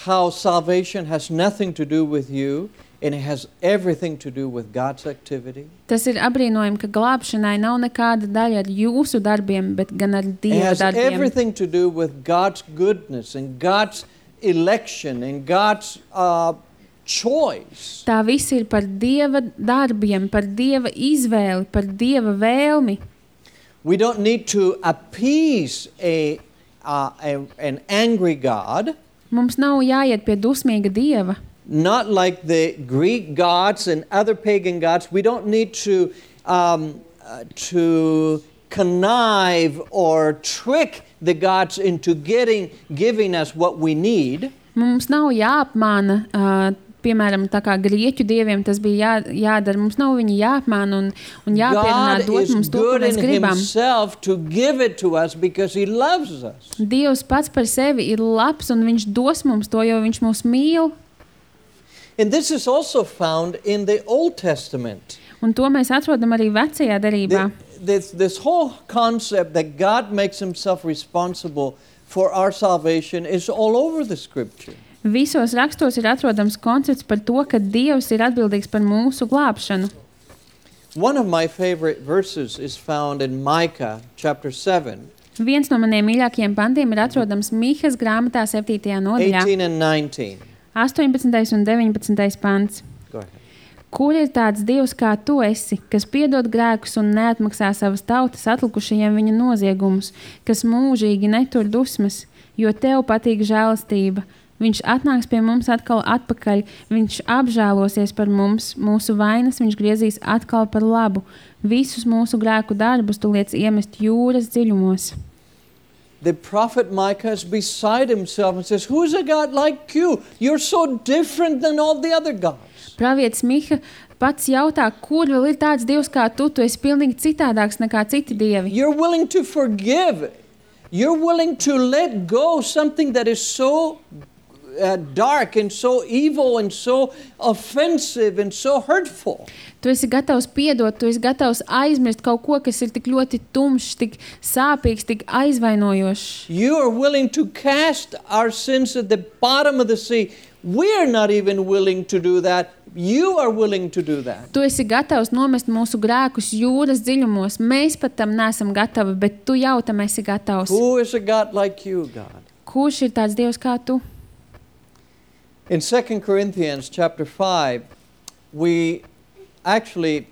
how salvation has nothing to do with you and it has everything to do with God's activity? Tas ir abrīnojami, ka glābšanai nav nekāda daļa ar jūsu darbiem, bet gan ar Dieva It has darbiem. everything to do with God's goodness and God's election and God's uh, choice. Tā viss ir par Dieva darbiem, par Dieva izvēli, par Dieva vēlmi. We don't need to appease a, uh, a, an angry God. Mums nav jāiet pie dusmīga Dieva. Not like the Greek gods and other pagan gods. We don't need to, um, uh, to connive or trick the gods into getting, giving us what we need. Mums nav jāapmāna, uh, piemēram, tā kā grieķu dieviem tas bija jā, jādara. Mums nav viņi jāapmāna un, un jāpierunā dot mums to, ko mēs gribam. To give it to us because he loves us. Dievs pats par sevi ir labs un viņš dos mums to, jo viņš mūs mīl. And this is also found in the Old Testament. Un to mēs atrodam arī vecajā derībā. The, this, this whole concept that God makes himself responsible for our salvation is all over the scripture. Visos rakstos ir atrodams koncepts par to, ka Dievs ir atbildīgs par mūsu glābšanu. One of my favorite verses is found in Micah chapter seven. Viens no maniem mīļākajiem pantiem ir atrodams Mīhas grāmatā septītajā nodaļā. eighteen and nineteen. astoņpadsmitais un deviņpadsmitais pants. Go ahead. Kur ir tāds Dievs kā tu esi, kas piedod grēkus un neatmaksā savas tautas atlikušajiem viņa noziegumus, kas mūžīgi netur dusmas, jo tev patīk žēlastība. Viņš atnāks pie mums atkal atpakaļ, viņš apžēlosies par mums, mūsu vainas viņš griezīs atkal par labu. Visus mūsu grēku darbus tu liec iemest jūras dziļumos. The prophet Micah is beside himself and says, who's a God like you? You're so different than all the other gods. Pravietis Miha pats jautā, kur vēl ir tāds Dievs kā tu, tu esi pilnīgi citādāks nekā citi dievi. You're willing to forgive. You're willing to let go something that is so Uh, dark and so evil and so offensive and so hurtful. Tu esi gatavs piedot, tu esi gatavs aizmirst kaut ko, kas ir tik ļoti tumšs, tik sāpīgs, tik aizvainojošs. You are willing to cast our sins at the bottom of the sea. We're not even willing to do that. You are willing to do that. Tu esi gatavs nomest mūsu grēkus jūras dziļumos. Mēs pat tam neesam gatavi, bet tu jau tam esi gatavs. Who is a God like you, God? Kurš ir tāds Dievs kā tu? In Second Corinthians chapter five, we actually,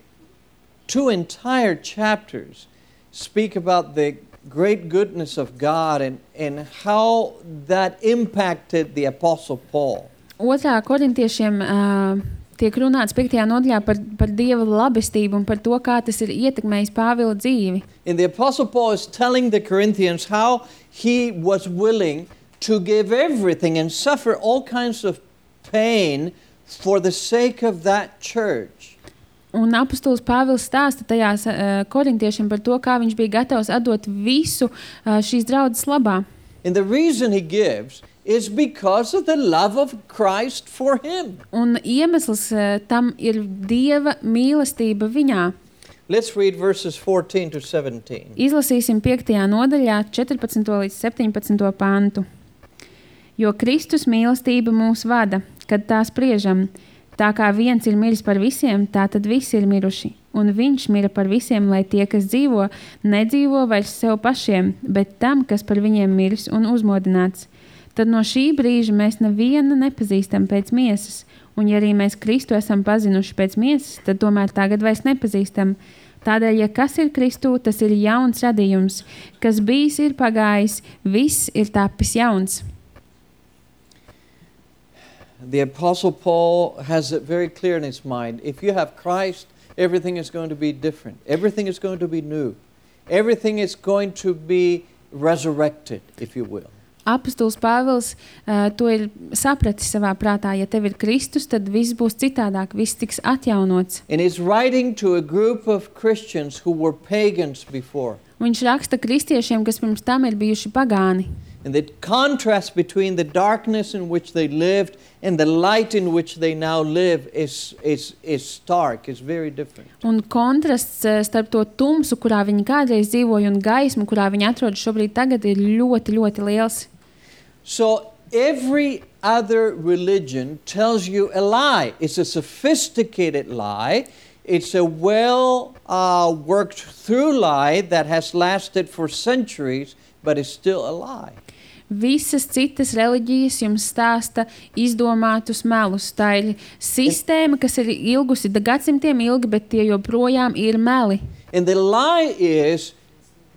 two entire chapters speak about the great goodness of God and, and how that impacted the Apostle Paul. Otrā korintiešiem uh, tiek runāts piektajā nodaļā par, par Dieva labestību un par to, kā tas ir ietekmējis Pāvila dzīvi. And the Apostle Paul is telling the Corinthians how he was willing to give everything and suffer all kinds of pain for the sake of that church. Un apostols Pāvils stāsta tajās uh, korintiešiem par to, kā viņš bija gatavs atdot visu uh, šīs draudzes labā. And the reason he gives is because of the love of Christ for him. Un iemesls uh, tam ir Dieva mīlestība viņā. Let's read verses fourteen to seventeen. Izlasīsim piektajā nodaļā četrpadsmito līdz septiņpadsmito pantu. Jo Kristus mīlestība mūs vada, kad tā spriežam, tā kā viens ir miris par visiem, tā tad visi ir miruši. Un viņš mira par visiem, lai tie, kas dzīvo, nedzīvo vairs sev pašiem, bet tam, kas par viņiem miris un uzmodināts. Tad no šī brīža mēs nevienu nepazīstam pēc miesas, un ja arī mēs Kristu esam pazinuši pēc miesas, tad tomēr tagad vairs nepazīstam. Tādēļ, ja kas ir Kristū, tas ir jauns radījums, kas bijis ir pagājis, viss ir tapis jauns. The Apostle Paul has it very clear in his mind. If you have Christ, everything is going to be different. Everything is going to be new. Everything is going to be resurrected, if you will. Apostols Pāvils uh, to ir sapratis savā prātā. Ja tev ir Kristus, tad viss būs citādāk, viss tiks atjaunots. And he's writing to a group of Christians who were pagans before. Viņš raksta kristiešiem, kas pirms tam ir bijuši pagāni. And the contrast between the darkness in which they lived and the light in which they now live is, is, is stark, is very different. Un kontrasts starp to tumsu, kurā viņi kādreiz dzīvoja, un gaismu, kurā viņi atrodas šobrīd tagad, ir ļoti, ļoti liels. So every other religion tells you a lie. It's a sophisticated lie. It's a well uh, worked through lie that has lasted for centuries, but is still a lie. Visas citas reliģijas jums stāsta izdomātus melus. Tā ir sistēma, kas ir ilgusi gadsimtiem ilgi, bet tie joprojām ir meli. And the lie is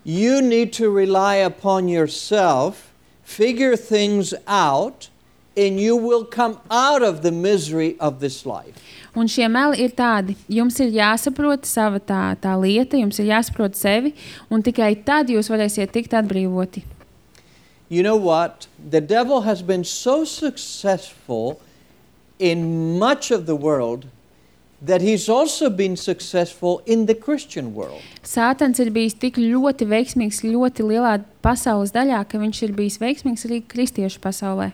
you need to rely upon yourself, figure things out, and you will come out of the misery of this life. Un šie meli ir tādi, jums ir jāsaprot sava tā, tā lieta, jums ir jāsaprot sevi, un tikai tad jūs varēsiet tikt atbrīvoti. You know what? The devil has been so successful in much of the world that he's also been successful in the Christian world. Sātans ir bijis tik ļoti veiksmīgs ļoti lielā pasaules daļā, ka viņš ir bijis veiksmīgs arī kristiešu pasaulē.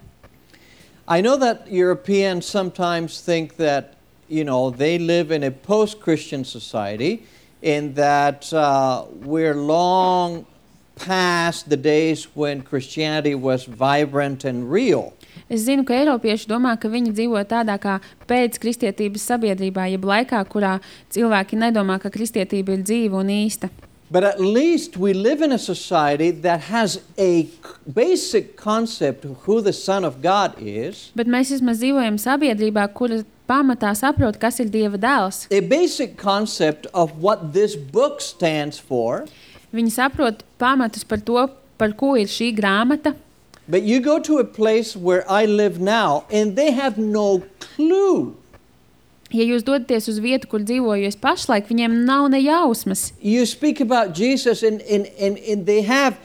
I know that Europeans sometimes think that, you know, they live in a post-Christian society and that uh, we're long past the days when Christianity was vibrant and real. Es zinu, ka eiropieši domā, ka viņi dzīvo tādā kā pēc kristietības sabiedrībā, jeb laikā, kurā cilvēki nedomā, ka kristietība ir dzīva un īsta. But at least we live in a society that has a basic concept of who the Son of God is. Bet mēs vismaz dzīvojam sabiedrībā, kura pamatā saprot, kas ir Dieva dēls. A basic concept of what this book stands for. Viņi saprot pamatus par to, par ko ir šī grāmata. But you go to a place where I live now, and they have no clue. Ja jūs dodaties uz vietu, kur dzīvoju es pašlaik, viņiem nav ne jausmas. You speak about Jesus, and, and, and, and they have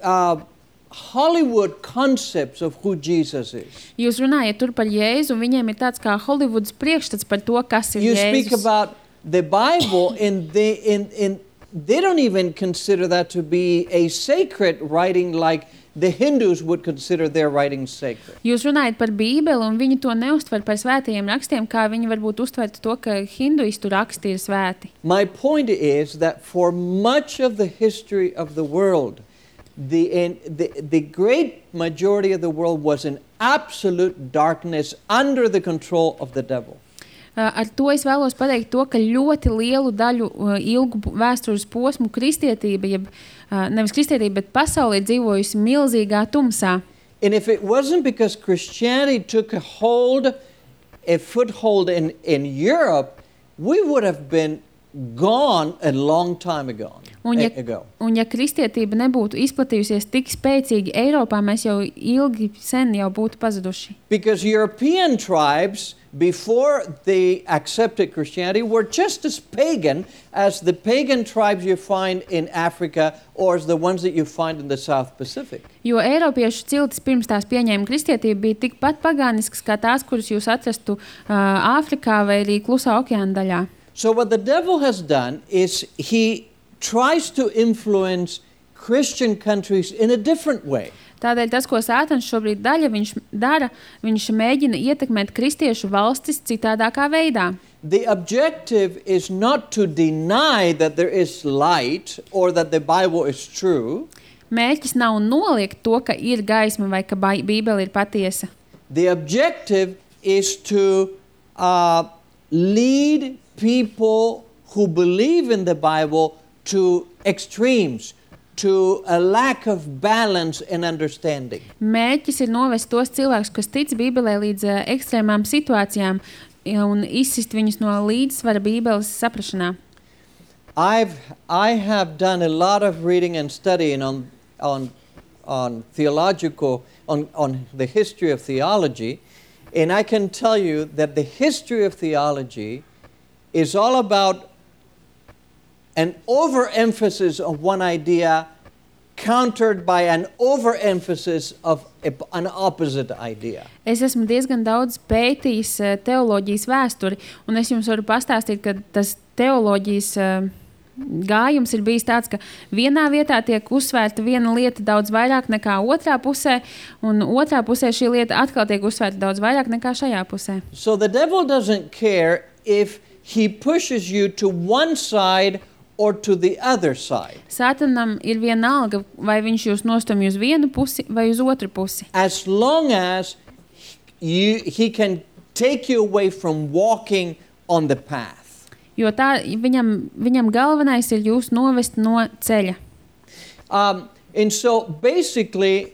uh, Hollywood concepts of who Jesus is. Jūs runājat tur par Jēzu, un viņiem ir tāds kā Holivudas priekšstats par to, kas ir You Jēzus. speak about the Bible, and they, and, and they don't even consider that to be a sacred writing like the Hindus would consider their writings sacred. Jūs runājat par Bībeli, un viņi to neuztver par svētajiem rakstiem, kā viņi varbūt uztvertu to, ka hinduistu raksti ir svēti. My point is that for much of the history of the world, the, in, the, the great majority of the world was in absolute darkness under the control of the devil. Uh, ar to es vēlos pateikt to, ka ļoti lielu daļu uh, ilgu vēstures posmu kristietība, jeb uh, nevis kristietība, bet pasaule ir dzīvojusi milzīgā tumsā. And if it wasn't because Christianity took a hold, a foothold in, in Europe, we would have been gone a long time ago. Un ja, ago. un ja kristietība nebūtu izplatījusies tik spēcīgi Eiropā, mēs jau ilgi sen jau būtu pazuduši. Because European tribes, before they accepted Christianity, were just as pagan as the pagan tribes you find in Africa or as the ones that you find in the South Pacific. Jo Eiropiešu ciltis pirms tās pieņēma kristietību bija tikpat pagānisks kā tās, kuras jūs atrastu uh, Āfrikā vai arī Klusā okeāna daļā. So what the devil has done is he tries to influence Christian countries in a different way. Tādēļ tas, ko Sātans šobrīd daļa, viņš dara, viņš mēģina ietekmēt kristiešu valstis citādākā veidā. The objective is not to deny that there is light or that the Bible is true. Mērķis nav noliegt to, ka ir gaisma vai ka Bībele ir patiesa. The objective is to uh, lead people who believe in the Bible to extremes, to a lack of balance and understanding. Mērķis ir novest tos cilvēkus, kas tic Bībelē līdz uh, ekstrēmām situācijām un izsist viņus no līdzsvara Bībeles saprašanā. I've I have done a lot of reading and studying on on on theological on on the history of theology, and I can tell you that the history of theology is all about an overemphasis of one idea countered by an overemphasis of a, an opposite idea. Es esmu diezgan daudz pētījis uh, teoloģijas vēsturi, un es jums varu pastāstīt, ka tas teoloģijas uh, gājums ir bijis tāds, ka vienā vietā tiek uzsvērta viena lieta daudz vairāk nekā otrā pusē, un otrā pusē šī lieta atkal tiek uzsvērta daudz vairāk nekā šajā pusē. So the devil doesn't care if he pushes you to one side or to the other side. Sātanam ir vienalga, vai viņš jūs nostumj uz vienu pusi vai uz otru pusi. As long as you, he can take you away from walking on the path. Jo tā viņam, viņam galvenais ir jūs novest no ceļa. Um, and so basically,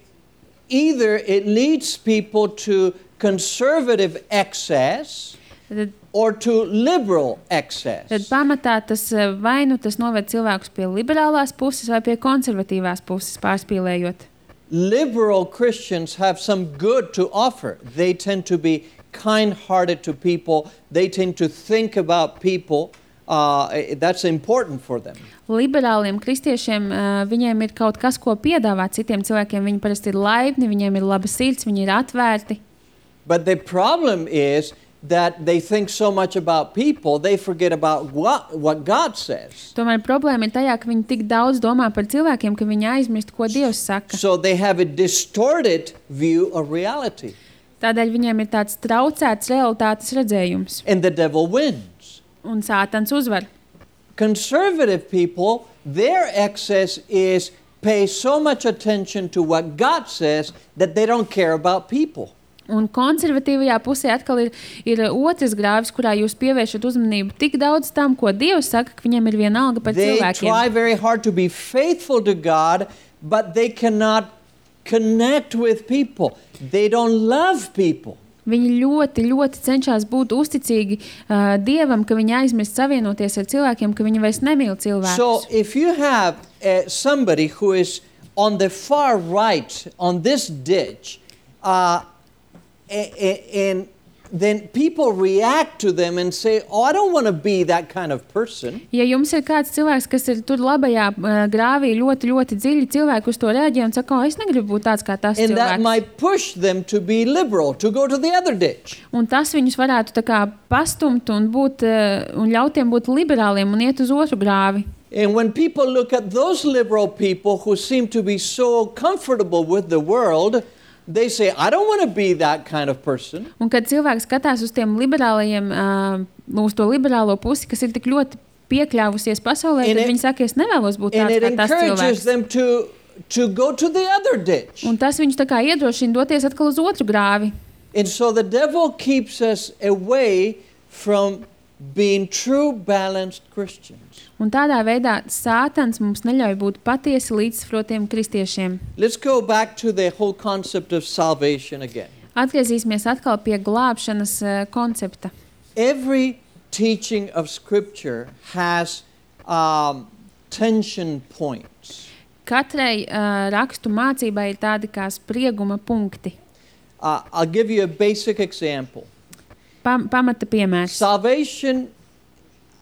either it leads people to conservative excess Tad, or to liberal excess. tad pamatā tas vai nu tas noved cilvēkus pie liberālās puses vai pie konservatīvās puses, pārspīlējot. Liberal Christians have some good to offer. They tend to be kind-hearted to people. They tend to think about people. Uh, that's important for them. Liberāliem kristiešiem uh, viņiem ir kaut kas, ko piedāvāt citiem cilvēkiem. Viņi parasti ir laipni, viņiem ir laba sirds, viņi ir atvērti. But the problem is that they think so much about people, they forget about what, what God says. Tomēr problēma ir tajā, ka viņi tik daudz domā par cilvēkiem, ka viņi aizmirst, ko Dievs saka. So they have a distorted view of reality. Tādēļ viņiem ir tāds traucēts realitātes redzējums. And the devil wins. Un Sātans uzvar. Conservative people, their excess is pay so much attention to what God says that they don't care about people. Un konservatīvajā pusē atkal ir, ir otrs grāvis, kurā jūs pievēršat uzmanību tik daudz tam, ko Dievs saka, ka viņiem ir vienalga par They cilvēkiem. try very hard to be faithful to God, but they cannot connect with people. They don't love people. Viņi ļoti, ļoti cenšas būt uzticīgi uh, Dievam, ka viņi aizmirst savienoties ar cilvēkiem, ka viņi vairs nemīl cilvēkus. So if you have uh, somebody who is on the far right, on this ditch, uh, and then people react to them and say, oh, I don't want to be that kind of person. Ja jums ir kāds cilvēks, kas ir tur labajā uh, grāvī ļoti, ļoti dziļi, cilvēki uz to reaģē un saka, oh, es negribu būt tāds kā tas and cilvēks. And that might push them to be liberal, to go to the other ditch. Un tas viņus varētu tā kā pastumt un, būt, uh, un ļautiem būt liberāliem un iet uz otru grāvi. And when people look at those liberal people who seem to be so comfortable with the world, they say, I don't want to be that kind of person. Un kad cilvēks skatās uz tiem liberālajiem, uh, uz to liberālo pusi, kas ir tik ļoti piekļāvusies pasaulē, and tad it, viņi saka, es nevēlos būt tāds kā tas cilvēks. And it encourages them to, to go to the other ditch. Un tas viņus tā kā iedrošina doties atkal uz otru grāvi. And so the devil keeps us away from being true balanced Christians. Un tādā veidā Sātans mums neļauj būt patiesi līdzsvarotiem kristiešiem. Let's go back to the whole concept of salvation again. Atgriezīsimies atkal pie glābšanas uh, koncepta. Every teaching of Scripture has um, tension points. Katrai uh, rakstu mācībai ir tādi kā sprieguma punkti. Uh, I'll give you a basic example. Pam, pamata piemērs. Salvation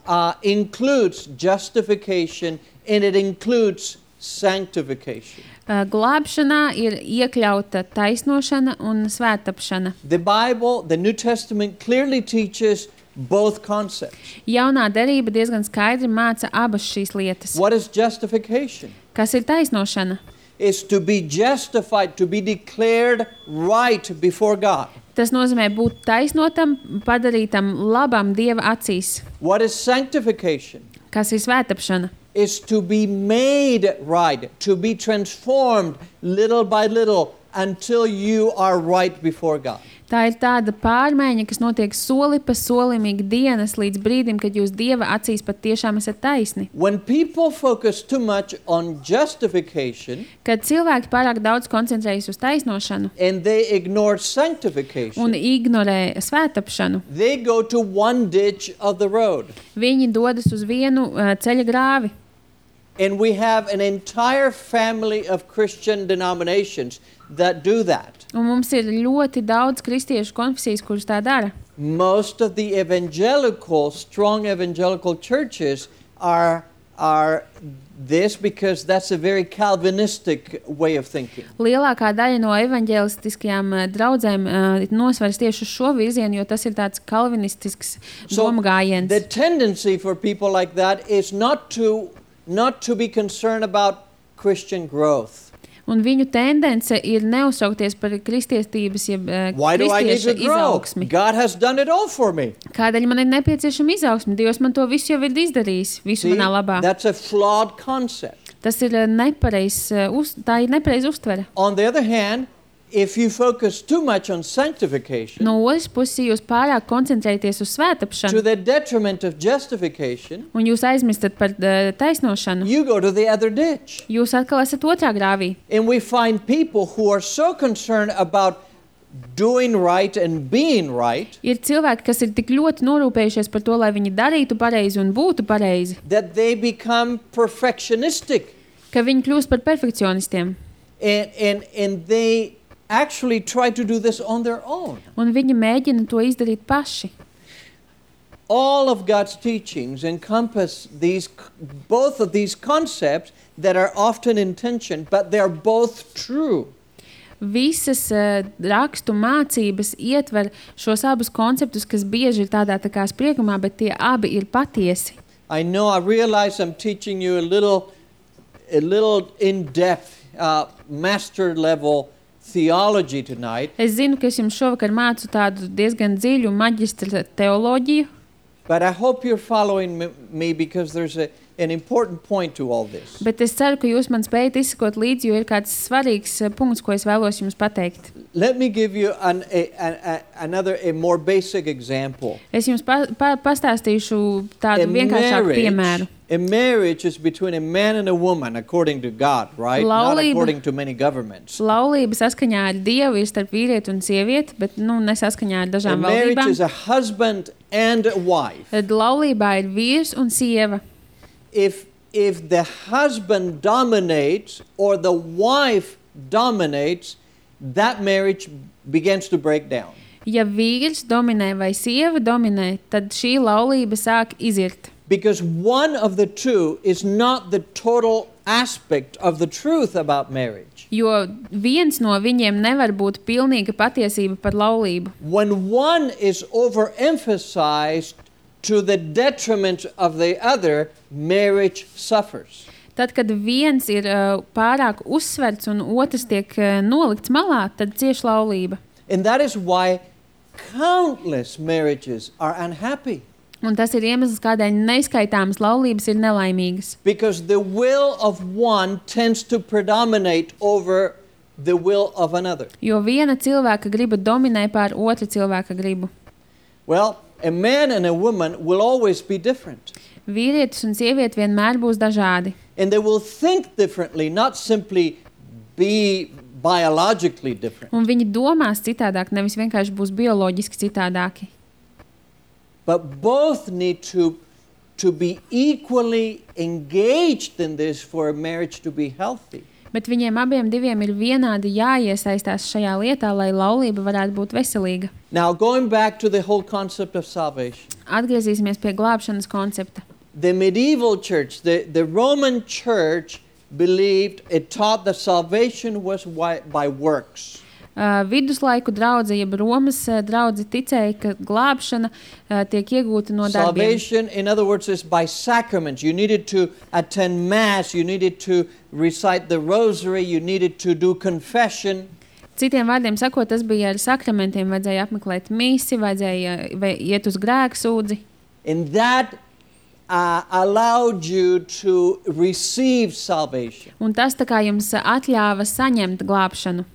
uh, includes justification and it includes sanctification. Uh, glābšanā ir iekļauta taisnošana un svētapšana. The Bible, the New Testament clearly teaches both concepts. Jaunā derība diezgan skaidri māca abas šīs lietas. What is justification? Kas ir taisnošana? Is to be justified, to be declared right before God. Tas nozīmē būt taisnotam, padarītam labam Dieva acīs. What is sanctification? Kas ir svētapšana? Is to be made right, to be transformed little by little until you are right before God. Tā ir tāda pārmaiņa, kas notiek soli pa solim ikdienas līdz brīdim, kad jūs Dieva acīs pat tiešām esat taisni. When people focus too much on justification, kad cilvēki pārāk daudz koncentrējas uz taisnošanu and they ignore sanctification, un ignorē svētapšanu, they go to one ditch of the road. Viņi dodas uz vienu uh, ceļa grāvi. And we have an entire family of Christian denominations that do that. Un mums ir ļoti daudz kristiešu konfesijas, kuras tā dara. Most of the evangelical, strong evangelical churches are are this because that's a very Calvinistic way of thinking. Lielākā daļa no evaņģēlistiskajām uh, draudzēm uh, nosvars tieši uz šo virzienu, jo tas ir tāds kalvinistisks So domgājiens. the tendency for people like that is not to not to be concerned about Christian growth. Un viņu tendence ir neuztraukties par kristietības, jeb uh, Why do I need kristieša to grow? izaugsmi. God has done it all for me. Kādēļ man ir nepieciešama izaugsme? Dievs man to visu jau ir izdarījis, visu See, manā labā. that's a flawed concept. Tas ir uh, nepareizs, uh, uz, tā ir nepareiz uztvere. On the other hand, if you focus too much on sanctification, No otras puses, ja jūs pārāk koncentrēties uz to svētapšanu the detriment of justification, un jūs aizmirstat par uh, taisnošanu, you go to the other ditch. jūs atkal esat otrā grāvī. And we find people who are so concerned about doing right and being right Ir cilvēki, kas ir tik ļoti norūpējušies par to, lai viņi darītu pareizi un būtu pareizi, that they become perfectionistic ka viņi kļūst par perfekcionistiem. and, and, and they actually try to do this on their own. Un viņi mēģina to izdarīt paši. All of God's teachings encompass these, both of these concepts that are often in tension, but they're both true. Visas uh, rakstu mācības ietver šos abus konceptus, kas bieži ir tādā tā kā spriegumā, bet tie abi ir patiesi. I know, I realize I'm teaching you a little, a little in-depth, uh, master level theology tonight. Es zinu, ka es jums šovakar mācu tādu diezgan dziļu maģistra teoloģiju, But I hope you're following me, me because there's a an important point to all this. Bet es ceru, ka jūs man spējat izsekot līdzi, jo ir kāds svarīgs uh, punkts, ko es vēlos jums pateikt. Let me give you an, a, a, a, another, a more basic example. Es jums pa, pa, pastāstīšu tādu A vienkāršāku piemēru. a marriage is between a man and a woman, according to God, right? Not Laulība. according to many governments. Laulība saskaņā ar Dievu ir starp vīrieti un sievieti, bet nu, nesaskaņā ar A dažām marriage valdībām. is a husband and a wife. Tad laulībā ir vīrs un sieva. If if the husband dominates or the wife dominates, that marriage begins to break down. Ja vīrs dominē vai sieva dominē, tad šī laulība sāk izirt. Because one of the two is not the total aspect of the truth about marriage. Jo viens no viņiem nevar būt pilnīga patiesība par laulību. When one is overemphasized to the detriment of the other, marriage suffers. Tad, kad viens ir uh, pārāk uzsverts un otrs tiek uh, nolikts malā, tad cieš laulība. And that is why countless marriages are unhappy. Un tas ir iemesls, kādēļ neskaitāmas laulības ir nelaimīgas. Because the will of one tends to predominate over the will of another. Jo viena cilvēka griba dominē pār otra cilvēka gribu. Well, a man and a woman will always be different. Vīrietis un sieviete vienmēr būs dažādi. And they will think differently, not simply be biologically different. Un viņi domās citādāk, nevis vienkārši būs bioloģiski citādāki. But both need to, to be equally engaged in this for a marriage to be healthy. Bet viņiem abiem diviem ir vienādi jāiesaistās šajā lietā, lai laulība varētu būt veselīga. Now, going back to the whole concept of salvation. Atgriezīsimies pie glābšanas koncepta. The medieval church, the, the Roman church believed, it taught that salvation was wi- by works. Uh, viduslaiku draudze, jeb Romas uh, draudze ticēja, ka glābšana uh, tiek iegūta no darbiem. Salvation, in other words, is by sacraments. You needed to attend mass, you needed to recite the rosary, you needed to do confession. Citiem vārdiem sakot, tas bija ar sakramentiem. Vajadzēja apmeklēt misi, vajadzēja vai iet uz grēksūdzi. And that uh, allowed you to receive salvation. Un tas tā kā jums atļāva saņemt glābšanu.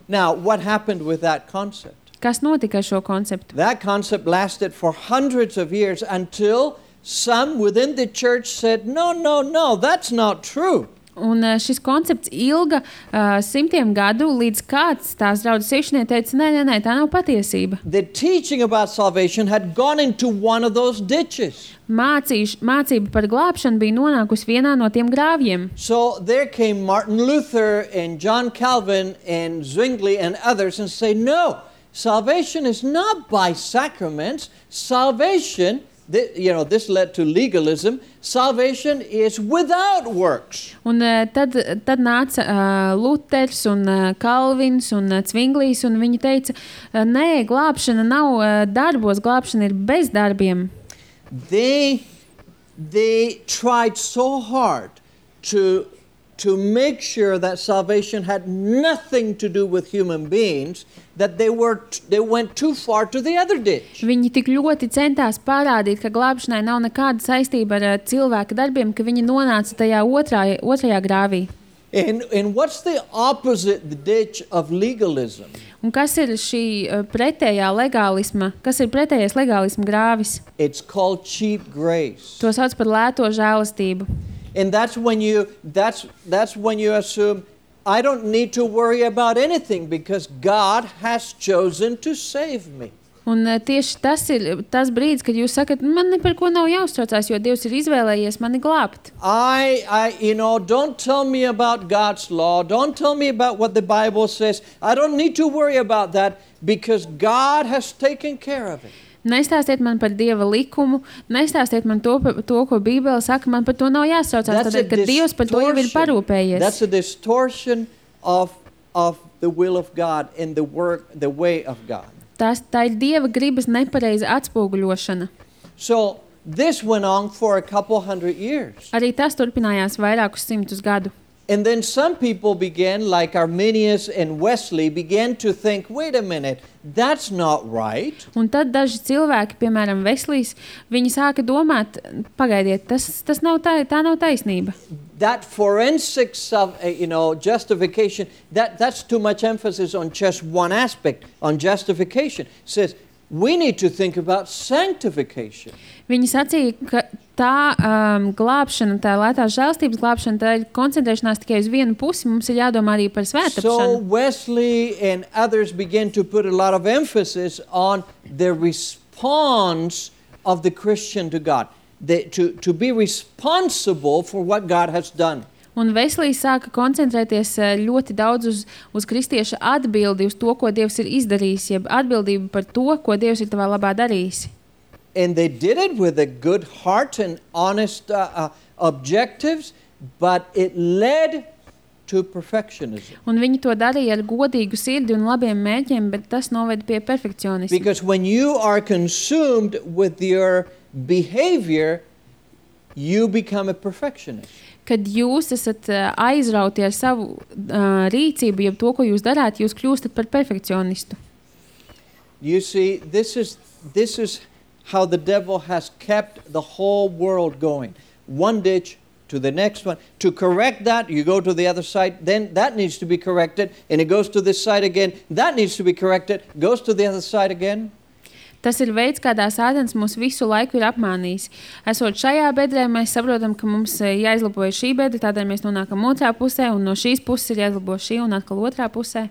Now, what happened with that concept? Kas notika ar šo konceptu? That concept lasted for hundreds of years until some within the church said, no, no, no, that's not true. Un uh, šis koncepts ilga uh, simtiem gadu, līdz kāds tās draudzes iekšnieki teica, nē, nē, nē, tā nav patiesība. The teaching about salvation had gone into one of those ditches. Mācīš, mācība par glābšanu bija nonākusi vienā no tiem grāvjiem. So there came Martin Luther and John Calvin and Zwingli and others and say, no, salvation is not by sacraments. Salvation, th- you know, this led to legalism. Salvation is without works. Un uh, tad, tad nāca uh, Luters un uh, Kalvins un uh, Zvinglijs, un viņi teica, uh, nē, glābšana nav uh, darbos, glābšana ir bez darbiem. They, they tried so hard to, to make sure that salvation had nothing to do with human beings that they, were, they went too far to the other ditch. Viņi tik ļoti centās parādīt, ka glābšanai nav nekāda saistība ar uh, cilvēka darbiem, ka viņi nonāca tajā otrā, otrajā grāvī. And, and what's the opposite ditch of legalism? Un kas ir šī uh, pretējā legālisma, kas ir pretējais legālisma grāvis? It's called cheap grace. To sauc par lēto žēlastību. And that's when you, that's, that's when you assume, I don't need to worry about anything because God has chosen to save me. Un uh, tieši tas ir tas brīdis, kad jūs sakat, man ne par ko nav jāuztraucās, jo Dievs ir izvēlējies mani glābt. I, I, you know, don't tell me about God's law. Don't tell me about what the Bible says. I don't need to worry about that because God has taken care of it. Nestāstiet man par Dieva likumu, nestāstiet man to, to ko Bībele saka, man par to nav jāsaucās, tādēļ, ka Dievs par to jau ir parūpējies. That's a distortion of, of the will of God and the work, the way of God. Tas, tā ir Dieva gribas nepareiza atspoguļošana. So this went on for a couple hundred years. Arī tas turpinājās vairākus simtus gadu. And then some people began, like Arminius and Wesley, began to think, wait a minute, that's not right. Un tad daži cilvēki, piemēram, Veslijs, viņi sāka domāt, pagaidiet, tas, tas nav tā, tā nav taisnība. That forensics of, uh, you know, justification, that, that's too much emphasis on just one aspect, on justification. It says, we need to think about sanctification. Viņi sacīja, ka tā um, glābšana, tā lētās žēlstības glābšana, tā ir koncentrēšanās tikai uz vienu pusi, mums ir jādomā arī par So svētāpšanu. Wesley and others began to put a lot of emphasis on the response of the Christian to God, the, to, to be responsible for what God has done. Un Veslijs sāka koncentrēties uh, ļoti daudz uz, uz kristieša atbildi, uz to, ko Dievs ir izdarījis, jeb atbildību par to, ko Dievs ir tavā labā darījis. And they did it with a good heart and honest uh, uh, objectives, but it led to perfectionism. Un viņi to darīja ar godīgu sirdi un labiem mērķiem, bet tas noved pie perfekcionisma. Because when you are consumed with your behavior, you become a perfectionist. Kad jūs esat uh, aizrauti ar savu uh, rīcību, jeb to, ko jūs darāt, jūs kļūstat par perfekcionistu. You see, this is, this is how the devil has kept the whole world going. One ditch to the next one. To correct that, you go to the other side, then that needs to be corrected, and it goes to this side again. That needs to be corrected, goes to the other side again. Tas ir veids, kādā Sātans mūs visu laiku ir apmānījis. Esot šajā bedrē, mēs saprotam, ka mums jāizlabo šī bedra, tādēļ mēs nonākam otrā pusē, un no šīs puses ir jāizlabo šī un atkal otrā pusē.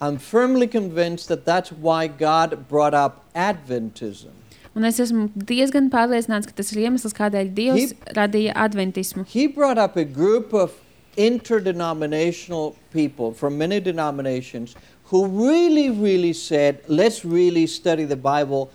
I'm firmly convinced that that's why God brought up Adventism. Un es esmu diezgan pārliecināts, ka tas ir iemesls, kādēļ Dievs he, radīja adventismu. He brought up a group of interdenominational people from many denominations who really, really said, let's really study the Bible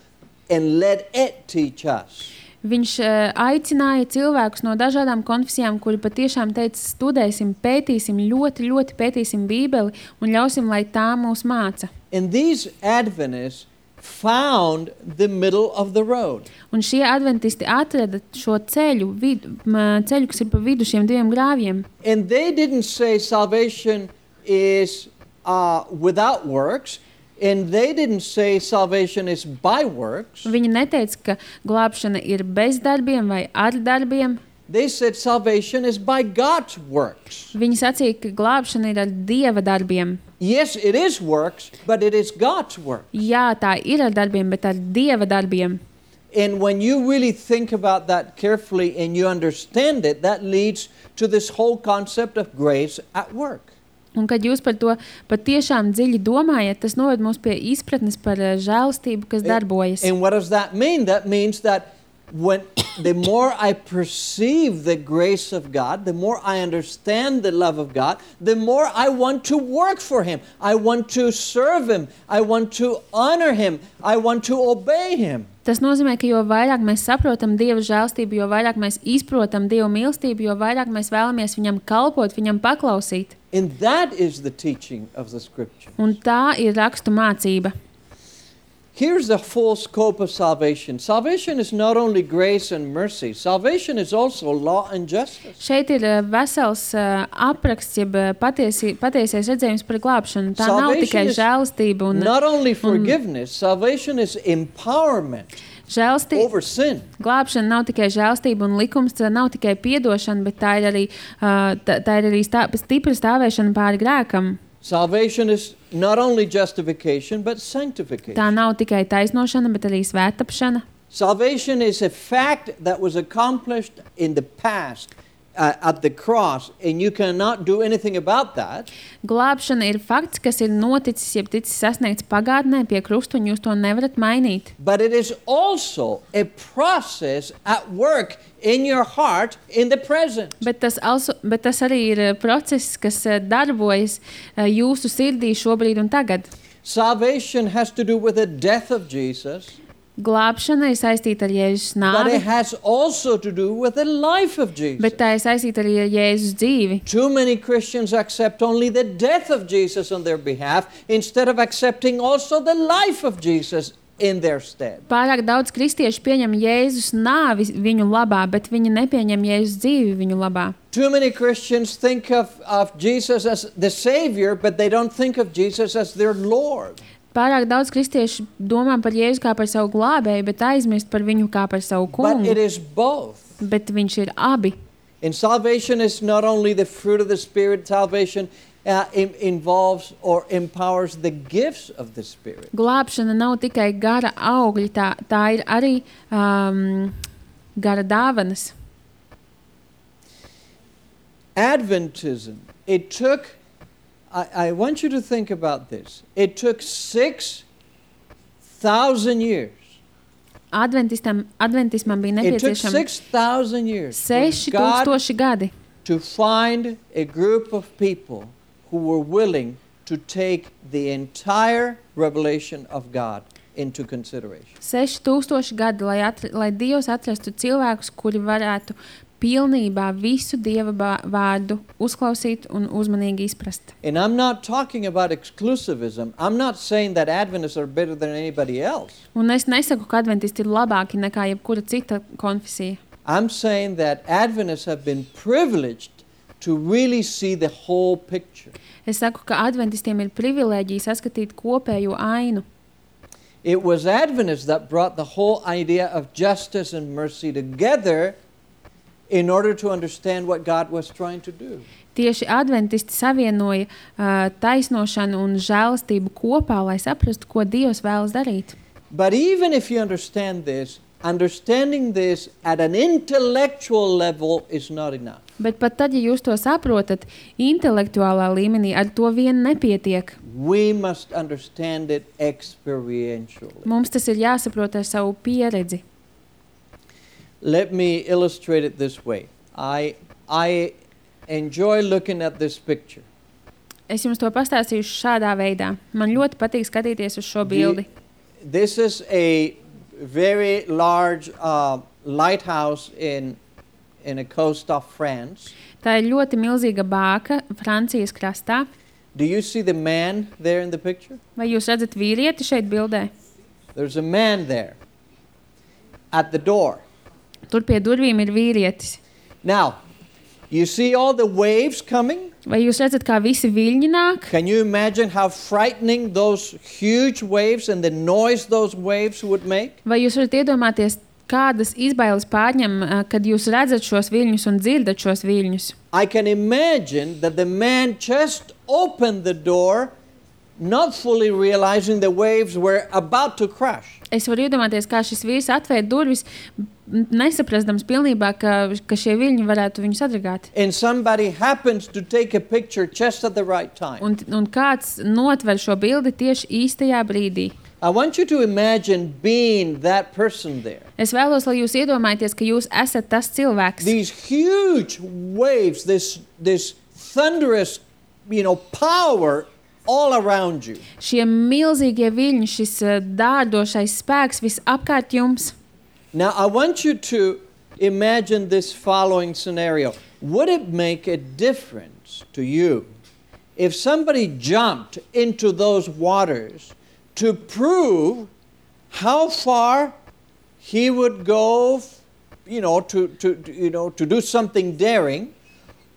and let it teach us. Viņš uh, aicināja cilvēkus no dažādām konfesijām, kuri patiešām teica, studēsim, pētīsim, ļoti, ļoti pētīsim Bībeli un ļausim, lai tā mūs māca. And these Adventists found the middle of the road. Un šie adventisti atrada šo ceļu, vid, ceļu, kas ir pa vidu šiem diviem grāvjiem. And they didn't say salvation is uh, without works, and they didn't say salvation is by works. Viņi neteica, ka glābšana ir bez darbiem vai ar darbiem. They said salvation is by God's works. Viņi sacīja, ka glābšana ir ar Dieva darbiem. Yes, it is works, but it is God's work. Jā, tā ir ar darbiem, bet ar Dieva darbiem. And when you really think about that carefully and you understand it, that leads to this whole concept of grace at work. Un kad jūs par to patiešām dziļi domājat, tas noved mūs pie izpratnes par žēlastību, kas darbojas. And what does that mean? That means that when the more I perceive the grace of God, the more I understand the love of God, the more I want to work for Him. I want to serve Him. I want to honor Him. I want to obey Him. Tas nozīmē, ka jo vairāk mēs saprotam Dieva žēlstību, jo vairāk mēs izprotam Dieva mīlestību, jo vairāk mēs vēlamies Viņam kalpot, Viņam paklausīt. And that is the teaching of the Scripture. Un tā ir rakstu mācība. Here's the full scope of salvation. Salvation is not only grace and mercy. Salvation is also law and justice. Šeit ir vesels uh, apraksts, jeb patiesi, patiesies redzējums par glābšanu. Tā nav tikai žēlastība un not only forgiveness, salvation is empowerment žēlstība. Over sin. Glābšana nav tikai žēlastība un likums, tā nav tikai piedošana, bet tā ir arī, uh, tā, tā ir arī stā, stipra stāvēšana pāri grēkam. Salvation is not only justification, but sanctification. Tā nav tikai taisnošana, bet arī svētapšana. Salvation is a fact that was accomplished in the past uh, at the cross, and you cannot do anything about that. Glābšana ir fakts, kas ir noticis, jeb ticis sasniegts pagātnē pie krusta, un jūs to nevarat mainīt. But it is also a process at work in your heart in the present. Bet tas, also, bet tas arī ir process, kas darbojas jūsu sirdī šobrīd un tagad. Salvation has to do with the death of Jesus. Glābšana ir saistīta ar Jēzus But nāvi, it has also to do with the life of Jesus. bet tā ir saistīta arī ar Jēzus dzīvi. Too many Christians accept only the death of Jesus on their behalf instead of accepting also the life of Jesus in their stead. Pārāk daudz kristiešu pieņem Jēzus nāvi viņu labā, bet viņi nepieņem Jēzus dzīvi viņu labā. Too many Christians think of, of Jesus as the Savior, but they don't think of Jesus as their Lord. Pārāk daudz kristiešu domā par Jēzu kā par savu glābēju, bet aizmirst par viņu kā par savu But it kungu. is both. Bet viņš ir abi. And salvation is not only the fruit of the Spirit, salvation uh, in, involves or empowers the gifts of the Spirit. Glābšana nav tikai gara augļi, tā, tā ir arī um, gara dāvanas. Adventism, it took, I, I want you to think about this, it took six thousand years. Adventistam, adventismam bija It took nepieciešami six thousand years for seši God tūkstoši gadi, to find a group of people who were willing to take the entire revelation of God into consideration. seši tūkstoši gadi, lai, atr lai Dievs atrastu cilvēkus, kuri varētu pilnībā visu Dieva bā- vārdu uzklausīt un uzmanīgi izprast. And I'm not talking about exclusivism. I'm not saying that Adventists are better than anybody else. Un es nesaku, ka adventisti ir labāki nekā jebkura cita konfesija. I'm saying that Adventists have been privileged to really see the whole picture. Es saku, ka adventistiem ir privilēģija saskatīt kopējo ainu. It was Adventists that brought the whole idea of justice and mercy together in order to understand what God was trying to do. Tieši adventisti savienoja uh, taisnošanu un žēlastību kopā, lai saprastu, ko Dievs vēlas darīt. But even if you understand this, understanding this at an intellectual level is not enough. Bet pat tad, ja jūs to saprotat, intelektuālā līmenī ar to vien nepietiek. We must understand it experientially. Mums tas ir jāsaprot ar savu pieredzi. Let me illustrate it this way. I, I enjoy looking at this picture. Es jums to pastāstīšu šādā veidā. Man ļoti patīk skatīties uz šo bildi. The- this is a very large uh, lighthouse in, in a coast of France. Tā ir ļoti milzīga bāka Francijas krastā. Do you see the man there in the picture? Vai jūs redzat vīrieti šeit bildē? There's a man there at the door. Tur pie durvīm ir vīrietis. Now, you see all the waves coming? Vai jūs redzat, kā visi viļņi nāk? Can you imagine how frightening those huge waves and the noise those waves would make? Vai jūs varat iedomāties, kādas izbailes pārņem, ā, kad jūs redzat šos viļņus un dzirdat šos viļņus? I can imagine that the man just opened the door, not fully realizing the waves were about to crash. Es varu iedomāties, kā šis vīrs atvēra durvis, m- nesaprastams pilnībā, ka, ka šie viļņi varētu viņu sadragāt. And somebody happens to take a picture just at the right time. Un, un kāds notver šo bildi tieši īstajā brīdī. I want you to imagine being that person there. Es vēlos, lai jūs iedomājaties, ka jūs esat tas cilvēks. These huge waves, this, this thunderous, you know, power all around you. Šie milzīgie viļņi, šis ā, dārdošais spēks visapkārt jums. Now, I want you to imagine this following scenario. Would it make a difference to you if somebody jumped into those waters to prove how far he would go, you know, to, to, to, you know, to do something daring,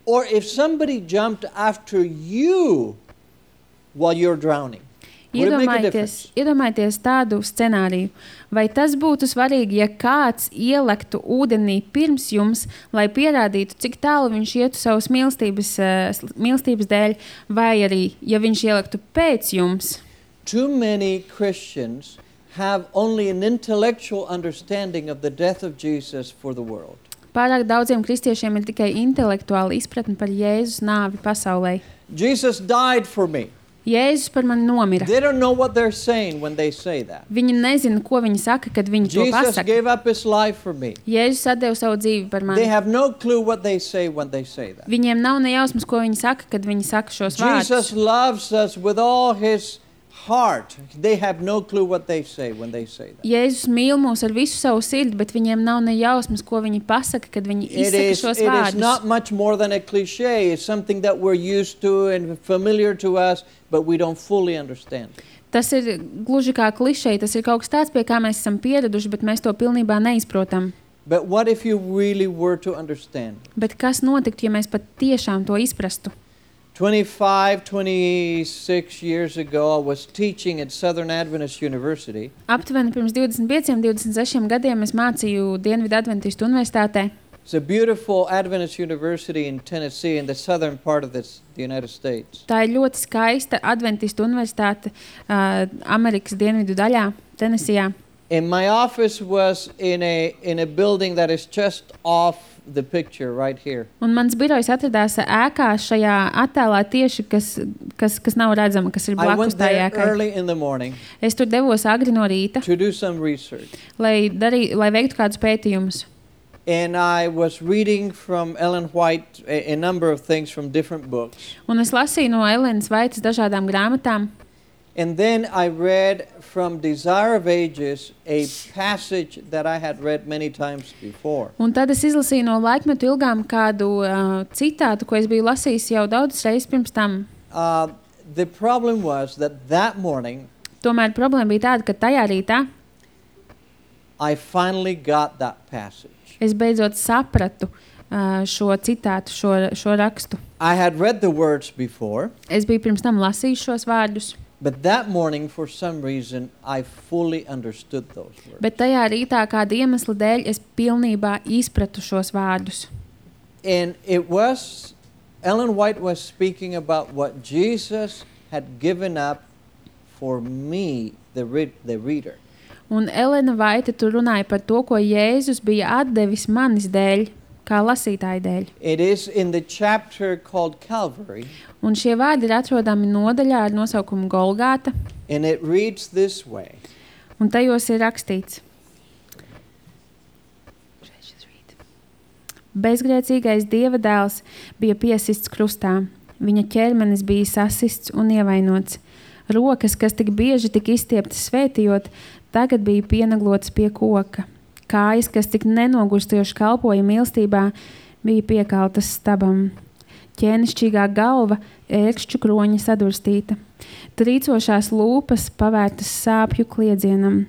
or if somebody jumped after you while you're drowning? Would it make a Iedomājieties, difference? iedomājieties tādu scenāriju. Vai tas būtu svarīgi, ja kāds ielektu ūdenī pirms jums, lai pierādītu, cik tālu viņš ietu savas mīlestības, uh, mīlestības dēļ, vai arī, ja viņš ielektu pēc jums? Too many Christians have only an intellectual understanding of the death of Jesus for the world. Pārāk daudziem kristiešiem ir tikai intelektuāla izpratne par Jēzus nāvi pasaulē. Jesus died for me. Jēzus par mani nomira. They don't know what they're saying when they say that. Viņi nezina, ko viņi saka, kad viņi to Jesus pasaka. gave up his life for me. Jēzus atdeva savu dzīvi par They mani. have no clue what they say when they say that. Viņiem nav ne jausmas, ko viņi saka, kad viņi saka šos Jesus vārdus. loves us with all his heart. They have no clue what they say when they say that. Jēzus mīl mūs ar visu savu sirdi, bet viņiem nav ne jausmas, ko viņi pasaka, kad viņi It izsaka is, šos it is vārdus. not much more than a cliche. It's something that we're used to and familiar to us, but we don't fully understand. Tas ir gluži kā klišeja, tas ir kaut kas tāds, pie kā mēs esam pieraduši, bet mēs to pilnībā neizprotam. But what if you really were to understand? Bet kas notiktu, ja mēs pat tiešām to izprastu? twenty-five, twenty-six years ago, I was teaching at Southern Adventist University. Aptuveni pirms divdesmit pieciem, divdesmit sešiem gadiem es mācīju Dienvidu Adventistu universitātē. It's a beautiful Adventist university in Tennessee, in the southern part of this, the United States. Tā ir ļoti skaista Adventistu universitāte uh, Amerikas dienvidu daļā, Tenesijā. And my office was in a in a building that is just off the picture right here. Un mans birojs atradās ēkā šajā attēlā tieši, kas, kas, kas nav redzama, kas ir I blakus went tā there ēkai. early in the morning Es tur devos agri no rīta, to do some research. lai, darī, lai veiktu kādus pētījumus. And I was reading from Ellen White a, a number of things from different books. Un es lasīju no Elenas Vaitas dažādām grāmatām. And then I read from Desire of Ages a passage that I had read many times before. Un tad es izlasīju no laikmetu ilgām kādu uh, citātu, ko es biju lasījis jau daudzas reizes pirms tam. Uh, the problem was that that morning Tomēr problēma bija tāda, ka tajā rītā I finally got that passage. es beidzot sapratu uh, šo citātu, šo, šo rakstu. I had read the words before, Es biju pirms tam lasījis šos vārdus, but that morning, for some reason, I fully understood those words. bet tajā rītā kāda iemesla dēļ es pilnībā izpratu šos vārdus. And it was, Ellen White was speaking about what Jesus had given up for me, the, read, the reader. Un Elena Vaita tur runāja par to, ko Jēzus bija atdevis manis dēļ, kā lasītāja dēļ. It is in the chapter called Calvary, Un šie vārdi ir atrodami nodaļā ar nosaukumu Golgāta, and it reads this way. un tajos ir rakstīts. Bezgrēcīgais Dieva dēls bija piesists krustā, viņa ķermenis bija sasists un ievainots. Rokas, kas tik bieži tika izstieptas svētījot, tagad bija pienaglotas pie koka. Kājas, kas tik nenogurstoši kalpoja mīlestībā, bija piekaltas stabam. Ķēnišķīgā galva, ērkšķu kroņa sadurstīta. Trīcošās lūpas pavērtas sāpju kliedzienam.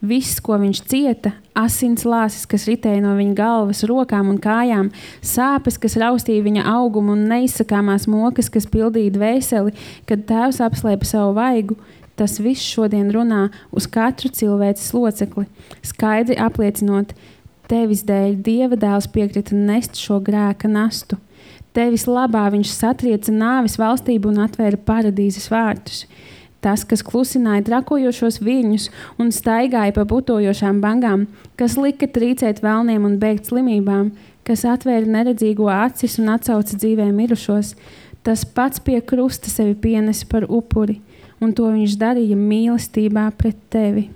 Viss, ko viņš cieta, asins lāsis, kas ritēja no viņa galvas, rokām un kājām, sāpes, kas raustīja viņa augumu un neizsakāmās mokas, kas pildīja dvēseli, kad tēvs apslēpa savu vaigu, tas viss šodien runā uz katru cilvēces locekli, skaidri apliecinot, tevis dēļ Dieva dēls piekrita nest šo grēka nastu. Tevis labā viņš satrieca nāves valstību un atvēra paradīzes vārtus. Tas, kas klusināja trakojošos viļņus un staigāja pa putojošām bangām, kas lika trīcēt velniem un bēgt slimībām, kas atvēra neredzīgo acis un atsauca dzīvē mirušos, tas pats pie krusta sevi pienesa par upuri, un to viņš darīja mīlestībā pret tevi.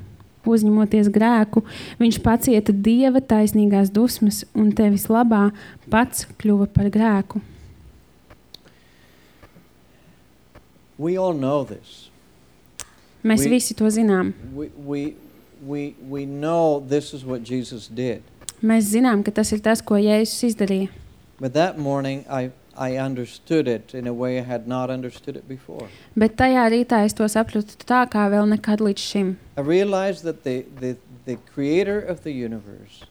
Uzņemoties grēku, viņš pacieta Dieva taisnīgās dusmas un tevis labā pats kļuva par grēku. We all know this. Mēs We- visi to zinām. We, we, we, we know this is what Jesus did. Mēs zinām, ka tas ir tas, ko Jēzus izdarīja. But that morning, I, I understood it in a way I had not understood it before. Bet tajā rītā es to sapratu tā, kā vēl nekad līdz šim. I realized that the, the, the creator of the universe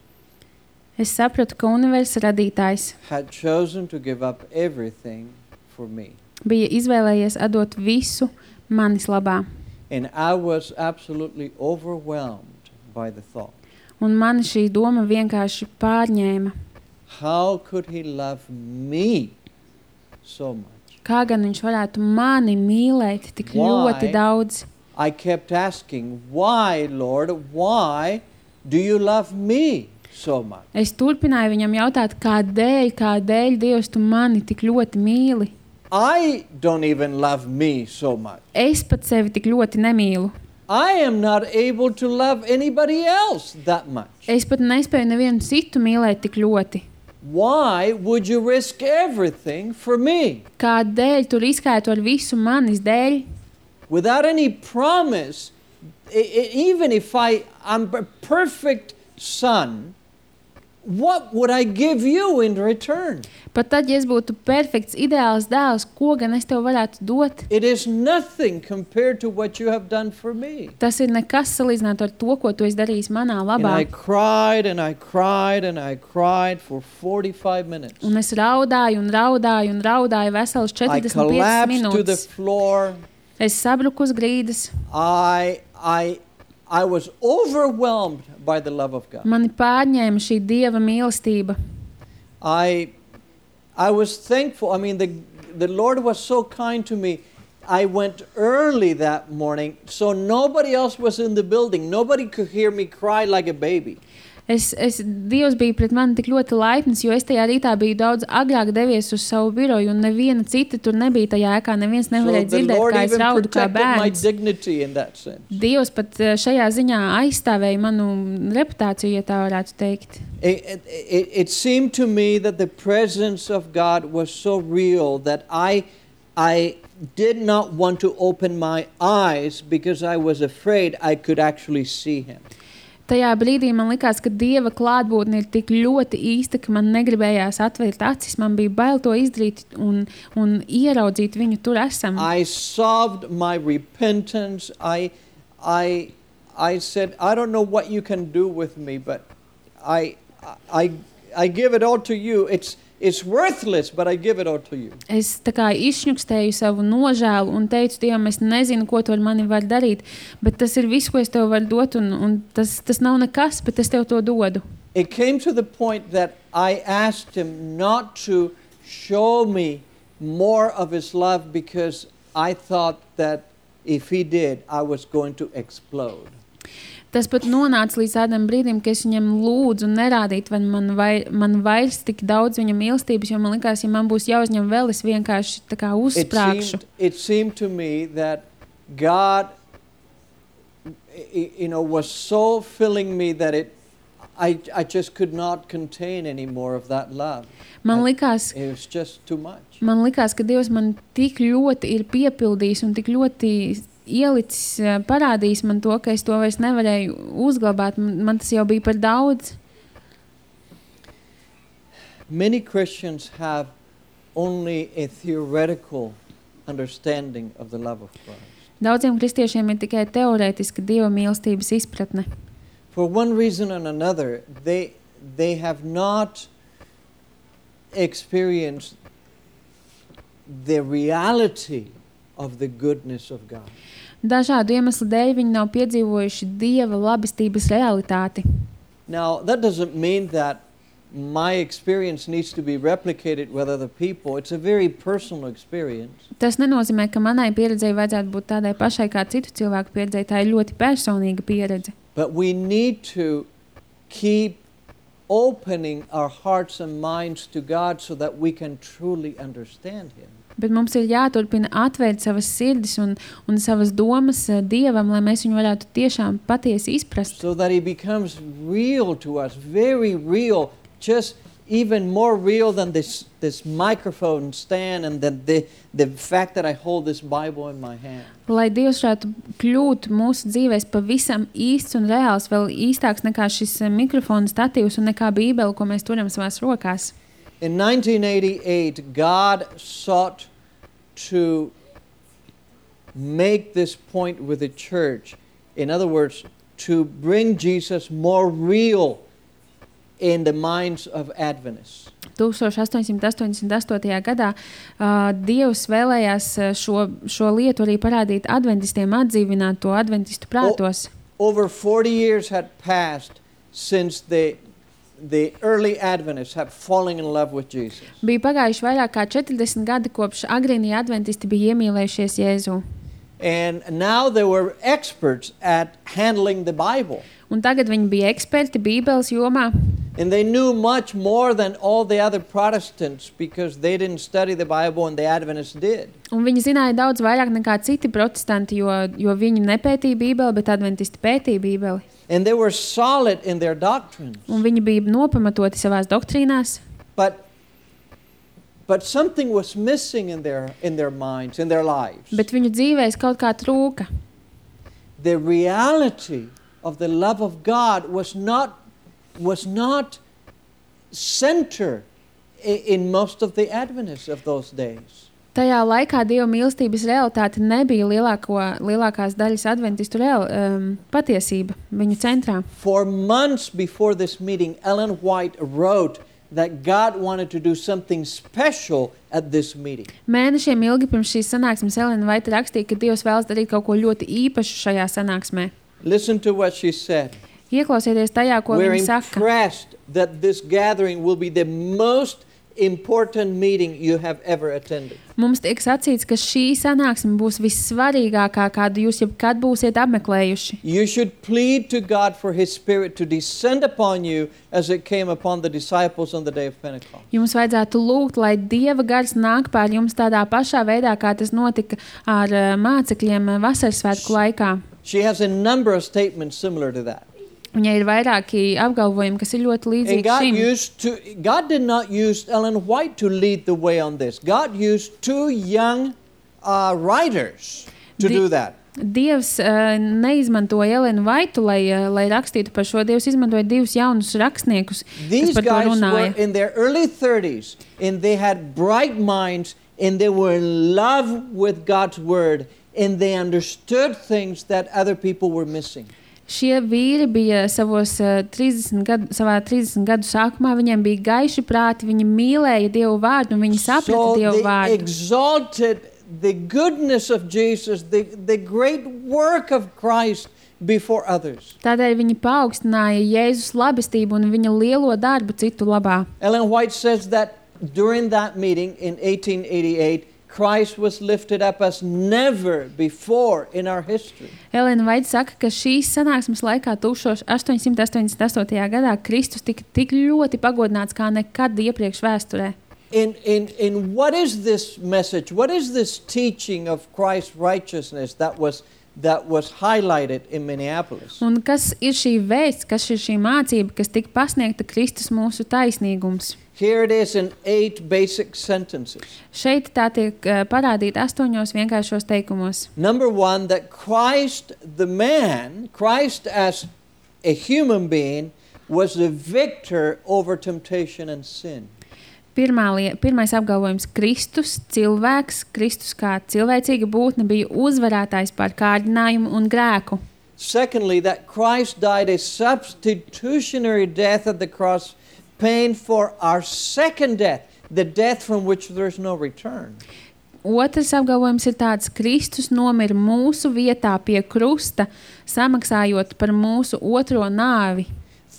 Es sapratu, ka universa radītājs had chosen to give up everything for me. bija izvēlējies atdot visu manis labā. And I was absolutely overwhelmed by the thought. Un mani šī doma vienkārši pārņēma. How could he love me so much? Kā gan viņš varētu mani mīlēt tik Why? ļoti daudz? I kept asking, why, Lord, why do you love me so much? Es turpināju viņam jautāt, kādēļ, kādēļ Dievs tu mani tik ļoti mīli? I don't even love me so much. Es pat sevi tik ļoti nemīlu. I am not able to love anybody else that much. Es pat nespēju nevienu citu mīlēt tik ļoti. Why would you risk everything for me? Kādēļ tu riskētu ar visu manis dēļ? Without any promise, I, I, even if I, I'm a perfect son, what would I give you in return? Pat tad, ja es būtu perfekts, ideāls dēls, ko gan es tev varētu dot? It is nothing compared to what you have done for me. Tas ir nekas salīdzināt ar to, ko tu esi darījis manā And labā. I cried and I cried and I cried for forty-five minutes. Un es raudāju un raudāju un raudāju veselas I četrdesmit piecas collapsed to the minūtes. floor. Es sabruku uz grīdas. I, I, I was overwhelmed by the love of God. Mani pārņēma šī Dieva mīlestība. I, I was thankful. I mean, the, the Lord was so kind to me. I went early that morning, so nobody else was in the building. Nobody could hear me cry like a baby. Es, es, Dievs bija pret mani tik ļoti laipns, jo es tajā rītā biju daudz agrāk devies uz savu biroju, un neviena cita tur nebija tajā ēkā. Neviens So nevarēja the dzirdēt, Lord kā es even raudu kā protected my bērns. dignity in that sense. Dievs pat eh, šajā ziņā aizstāvēja manu reputāciju, ja tā varētu teikt. It, it, it, it seemed to me that the presence of God was so real that I, I did not want to open my eyes because I was afraid I could actually see Him. Tajā brīdī man likās, ka Dieva klātbūtne ir tik ļoti īsta, ka man negribējās atvērt acis. Man bija bail to izdarīt un, un ieraudzīt viņu tur esam. I sobbed my repentance. I, I, I said, I don't know what you can do with me, but I, I, I give it all to you. It's, it's worthless, but I give it all to you. Es tā kā izšņukstēju savu nožēlu un teicu Dievam, es nezinu, ko tu ar mani var darīt, bet tas ir viss, ko es tev varu dot, un, un tas, tas nav nekas, bet es tev to dodu. It came to the point that I asked Him not to show me more of His love because I thought that if He did, I was going to explode. Tas pat nonāca līdz tādam brīdim, ka es viņam lūdzu nerādīt, vai man, vai, man vairs tik daudz viņa mīlestības, jo man likās, ja man būs jāuzņem vēl, es vienkārši tā kā It uzsprāgšu. seemed, it seemed to me that God, y- you know, was so filling me that it, I, I just could not contain any more of that love. Man I- likās, It was just too much. man likās, ka Dievs man tik ļoti ir piepildījis un tik ļoti ielicis, eh, parādījis man to, ka es to vairs nevarēju uzglabāt. Man, man tas jau bija par daudz. Many Christians have only a theoretical understanding of the love of Christ. Daudziem kristiešiem ir tikai teorētiska Dieva mīlestības izpratne. For one reason and another, they, they have not experienced the reality of the goodness of God. Dažādu iemeslu dēļ viņi nav piedzīvojuši Dieva labestības realitāti. Now, that doesn't mean that my experience needs to be replicated with other people. It's a very personal experience. Tas nenozīmē, ka manai pieredzei vajadzētu būt tādai pašai kā citu cilvēku pieredzei. Tā ir ļoti personīga pieredze. But we need to keep opening our hearts and minds to God so that we can truly understand Him. Bet mums ir jāturpina atvērt savas sirdis un, un savas domas eh, Dievam, lai mēs viņu varētu tiešām patiesi izprast. So that He becomes real to us, very real, just even more real than this, this microphone stand and the, the, the fact that I hold this Bible in my hand. Lai Dievs varētu kļūt mūsu dzīvēs pavisam īsts un reāls, vēl īstāks nekā šis eh, mikrofona statīvs un nekā Bībele, ko mēs turam savās rokās. In nineteen eighty-eight, God sought to make this point with the church. In other words, to bring Jesus more real in the minds of Adventists. astoņdesmit astoņdesmit gadā uh, Dievs vēlējās uh, šo, šo lietu arī parādīt adventistiem, atdzīvināt to adventistu prātos. O- over forty years had passed since the, the early Adventists have fallen in love with Jesus. Bija pagājuši vairāk kā četrdesmit gadi, kopš agrīnie adventisti bija iemīlējušies Jēzu. And now they were experts at handling the Bible. Un tagad viņi bija eksperti Bībeles jomā. And they knew much more than all the other Protestants because they didn't study the Bible and the Adventists did. Un viņi zināja daudz vairāk nekā citi protestanti, jo, jo viņi nepētīja Bībeli, bet adventisti pētīja Bībeli. And they were solid in their doctrines. Un viņi bija nopamatoti savās doktrīnās. But, but something was missing in their, in their minds, in their lives. Bet viņu dzīvēs kaut kā trūka. The reality of the love of God was not, was not center i- in most of the Adventists of those days. Tajā laikā Dieva mīlestības realitāte nebija lielāko, lielākās daļas adventistu real, um, patiesība viņu centrā. For months before this meeting, Ellen White wrote that God wanted to do something special at this meeting. Mēnešiem ilgi pirms šīs sanāksmes Elena Vaita rakstīja, ka Dievs vēlas darīt kaut ko ļoti īpašu šajā sanāksmē. Listen to what she said. Ieklausieties tajā, ko We're viņa saka. impressed that this gathering will be the most important meeting you have ever attended. Mums tiek sacīts, ka šī sanāksme būs vissvarīgākā, kādu jūs jebkad būsiet apmeklējuši. You should plead to God for His Spirit to descend upon you as it came upon the disciples on the day of Pentecost. Jums vajadzētu lūgt, lai Dieva gars nāk pār jums tādā pašā veidā, kā tas notika ar uh, mācekļiem uh, vasaras svētku laikā. She has a number of statements similar to that. Viņai ir vairāki apgalvojumi, kas ir ļoti And līdzīgi God šim. used to God did not use Ellen White to lead the way on this. God used two young uh, writers to Di- do that. Dievs uh, neizmantoja Elenu Vaitu, lai, uh, lai rakstītu par šo. Dievs izmantoja divus jaunus rakstniekus, kas These par to guys were runāja. in their early thirties and they had bright minds and they were in love with God's word and they understood things that other people were missing. Šie vīri bija savos uh, trīsdesmit gadu, savā trīsdesmit gadu sākumā, viņiem bija gaiši prāti, viņi mīlēja Dievu vārdu un viņi saprata So Dievu they vārdu. exalted the goodness of Jesus, the, the great work of Christ before others. Tādēļ viņi paaugstināja Jēzus labestību un viņa lielo darbu citu labā. Ellen White says that during that meeting in eighteen eighty-eight, Christ was lifted up as never before in our history. Elena Vaita saka, ka šīs sanāksmes laikā astoņsimt astoņdesmit astotajā gadā Kristus tika tik ļoti pagodināts kā nekad iepriekš vēsturē. In, in, in what is this message? What is this teaching of Christ's righteousness that was, that was highlighted in Minneapolis? Un kas ir šī vēsts, kas ir šī mācība, kas tika pasniegta Kristus mūsu taisnīgums? Here it is in eight basic sentences. Šeit tā tiek uh, parādīta astoņos vienkāršos teikumos. Number one, that Christ, the man, Christ as a human being, was the victor over temptation and sin. Pirmā lie, pirmais apgalvojums – Kristus, cilvēks, Kristus kā cilvēcīga būtne bija uzvarētājs pār kārdinājumu un grēku. Secondly, that Christ died a substitutionary death at the cross, paying for our second death, the death from which there is no return. Otrs apgalvojums ir tāds: Kristus nomira mūsu vietā pie krusta, samaksājot par mūsu otro nāvi.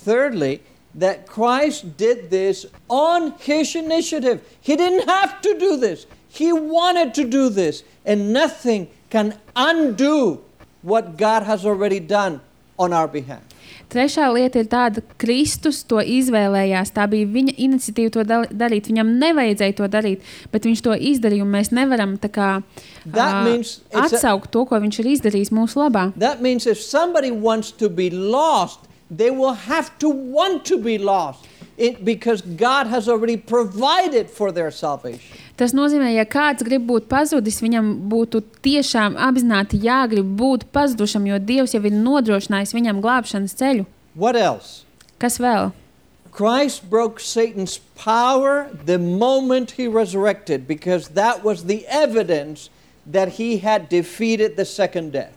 Thirdly, that Christ did this on His initiative. He didn't have to do this. He wanted to do this, and nothing can undo what God has already done on our behalf. Trešā lieta ir tāda, ka Kristus to izvēlējās. Tā bija viņa iniciatīva to dal- darīt. Viņam nevajadzēja to darīt, bet viņš to izdarīja, un mēs nevaram tā kā, That ā, means it's a- atsaukt to, ko viņš ir izdarījis mūsu labā. That means if somebody wants to be lost, they will have to want to be lost, it, because God has already provided for their salvation. Tas nozīmē, ja kāds grib būt pazudis, viņam būtu tiešām apzināti jāgrib būt pazudušam, jo Dievs jau ir nodrošinājis viņam glābšanas ceļu. What else? Kas vēl? Christ broke Satan's power the moment he resurrected, because that was the evidence that he had defeated the second death.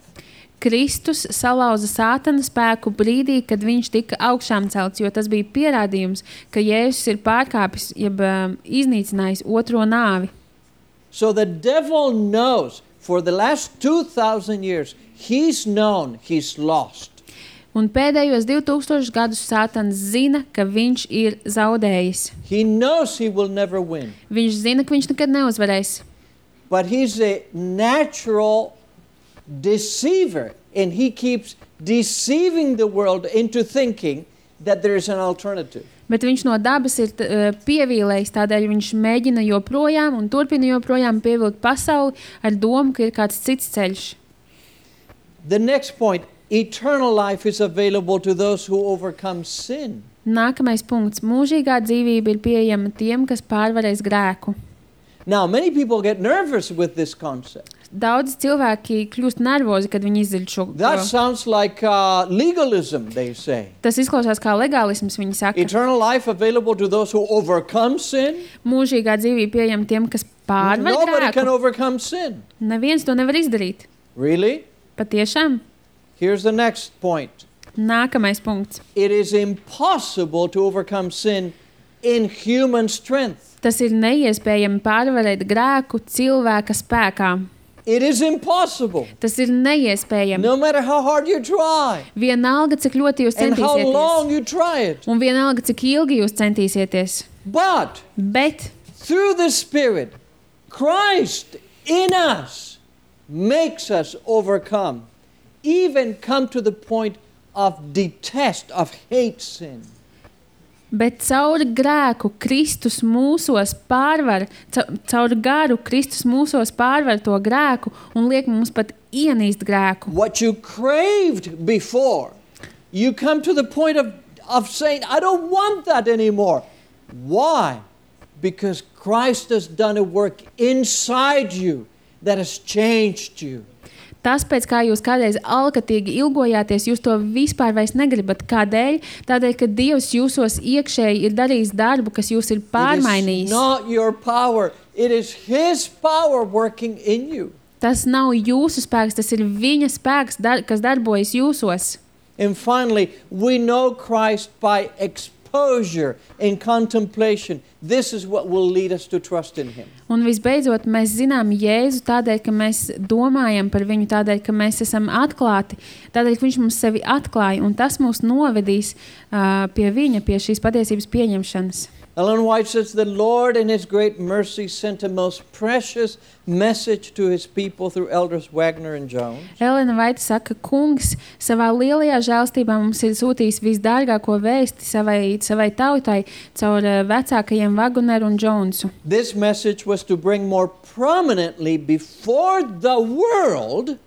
Kristus salauza Sātana spēku brīdī, kad viņš tika augšām celts, jo tas bija pierādījums, ka Jēzus ir pārkāpis, jeb um, iznīcinājis otro nāvi. So the devil knows for the last two thousand years, he's known he's lost. Un pēdējos divi tūkstoši gadus Sātans zina, ka viņš ir zaudējis. He knows he will never win. Viņš zina, ka viņš nekad neuzvarēs. But he's a natural deceiver, and he keeps deceiving the world into thinking that there is an alternative. Bet viņš no dabas ir uh, pievīlējis, tādēļ viņš mēģina joprojām un turpina joprojām pievilkt pasauli ar domu, ka ir kāds cits ceļš. The next point, eternal life is available to those who overcome sin. Nākamais punkts. Mūžīgā dzīvība ir pieejama tiem, kas pārvarēs grēku. Now, many people get nervous with this concept. daudz cilvēki kļūst nervozi, kad viņi izdziļ šo. That sounds like uh, legalism, they say. Tas izklausās kā legālisms, viņi saka. Eternal life available to those who overcome sin. Mūžīgā dzīvība pieejama tiem, kas pārvar Nobody can grēku. overcome sin. Neviens to nevar izdarīt. Really? Patiešām. Here's the next point. Nākamais punkts. It is impossible to overcome sin in human strength. Tas ir neiespējami pārvarēt grēku cilvēka spēkā. It is impossible. Tas ir neiespējami. No matter how hard you try Vienalga, cik ļoti jūs and how long centīsieties. you try it. Un vienalga, cik ilgi jūs centīsieties. But Bet through the Spirit, Christ in us makes us overcome, even come to the point of detest, of hate sin. Bet caur grēku Kristus mūsos pārvar, ca- caur garu Kristus mūsos pārvar to grēku un liek mums pat ienīst grēku. What you craved before, you come to the point of, of saying, I don't want that anymore. Why? Because Christ has done a work inside you that has changed you. Tas, pēc kā jūs kādreiz alkatīgi ilgojāties, jūs to vispār vairs negribat. Kādēļ? Tādēļ, ka Dievs jūsos iekšēji ir darījis darbu, kas jūs ir It is pārmainījis. not your power. It is His power working in you. Tas nav jūsu spēks, tas ir viņa spēks, dar, kas darbojas jūsos. And finally, we know Christ by exposure and contemplation. This is what will lead us to trust in Him. Un visbeidzot, mēs zinām Jēzu tādēļ, ka mēs domājam par viņu, tādēļ, ka mēs esam atklāti, tādēļ, ka viņš mums sevi atklāja, un tas mūs novedīs uh, pie viņa, pie šīs patiesības pieņemšanas. Ellen White says, the Lord in His great mercy sent a most precious message to His people through elders Wagner and Jones. Elena Vaita saka, kungs savā lielajā žēlstībā mums ir sūtījis visdārgāko vēsti savai, savai tautai caur uh, vecākajiem Wagneru un Jonesu. This message was to bring more prominently before the world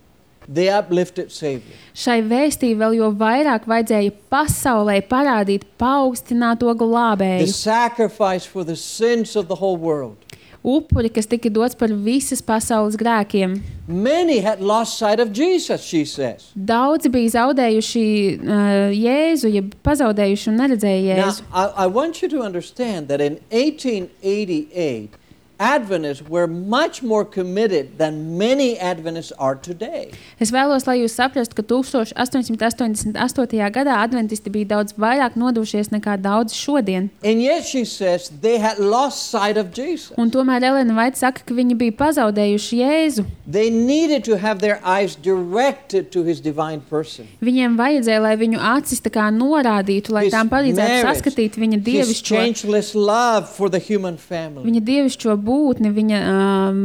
the uplifted Savior. Šai vēstī vēl jo vairāk vajadzēja pasaulē parādīt paaugstināto The glābēju, sacrifice for the sins of the whole world. upuri, kas tika dots par visas pasaules grēkiem. Many had lost sight of Jesus, she says. Daudzi bija zaudējuši uh, Jēzu, ja pazaudējuši un neredzēja Now, Jēzu. I, I want you to understand that in eighteen eighty-eight, Adventists were much more committed than many Adventists are today. Es vēlos, lai jūs saprastu, ka tusenš astoņsimt astoņdesmit astotajā gadā adventisti bija daudz vairāk nodušies nekā daudz šodien. And yet, she says, they had lost sight of Jesus. Un tomēr Elena Vaita saka, ka viņi bija pazaudējuši Jēzu. They needed to have their eyes directed to His divine person. Viņiem vajadzēja, lai viņu acis tā kā norādītu, lai His tām palīdzētu marriage, saskatīt viņa His dievišķo, changeless love for the human family. viņa dievišķo būtni, viņa um,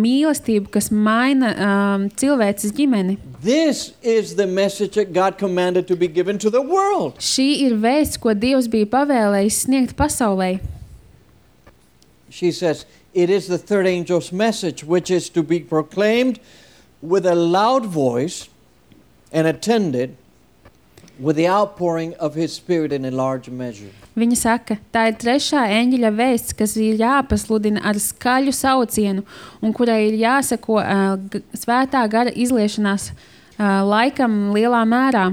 mīlestību, kas maina um, cilvēces ģimeni. This is the message that God commanded to be given to the world. Šī ir vēsts, ko Dievs bija pavēlējis sniegt pasaulē. She says, it is the third angel's message, which is to be proclaimed with a loud voice and attended with the outpouring of His Spirit in a large measure. Viņa saka, tā ir trešā eņģeļa vēsts, kas ir jāpasludina ar skaļu saucienu un kurai ir jāseko uh, g- svētā gara izliešanās uh, laikam lielā mērā.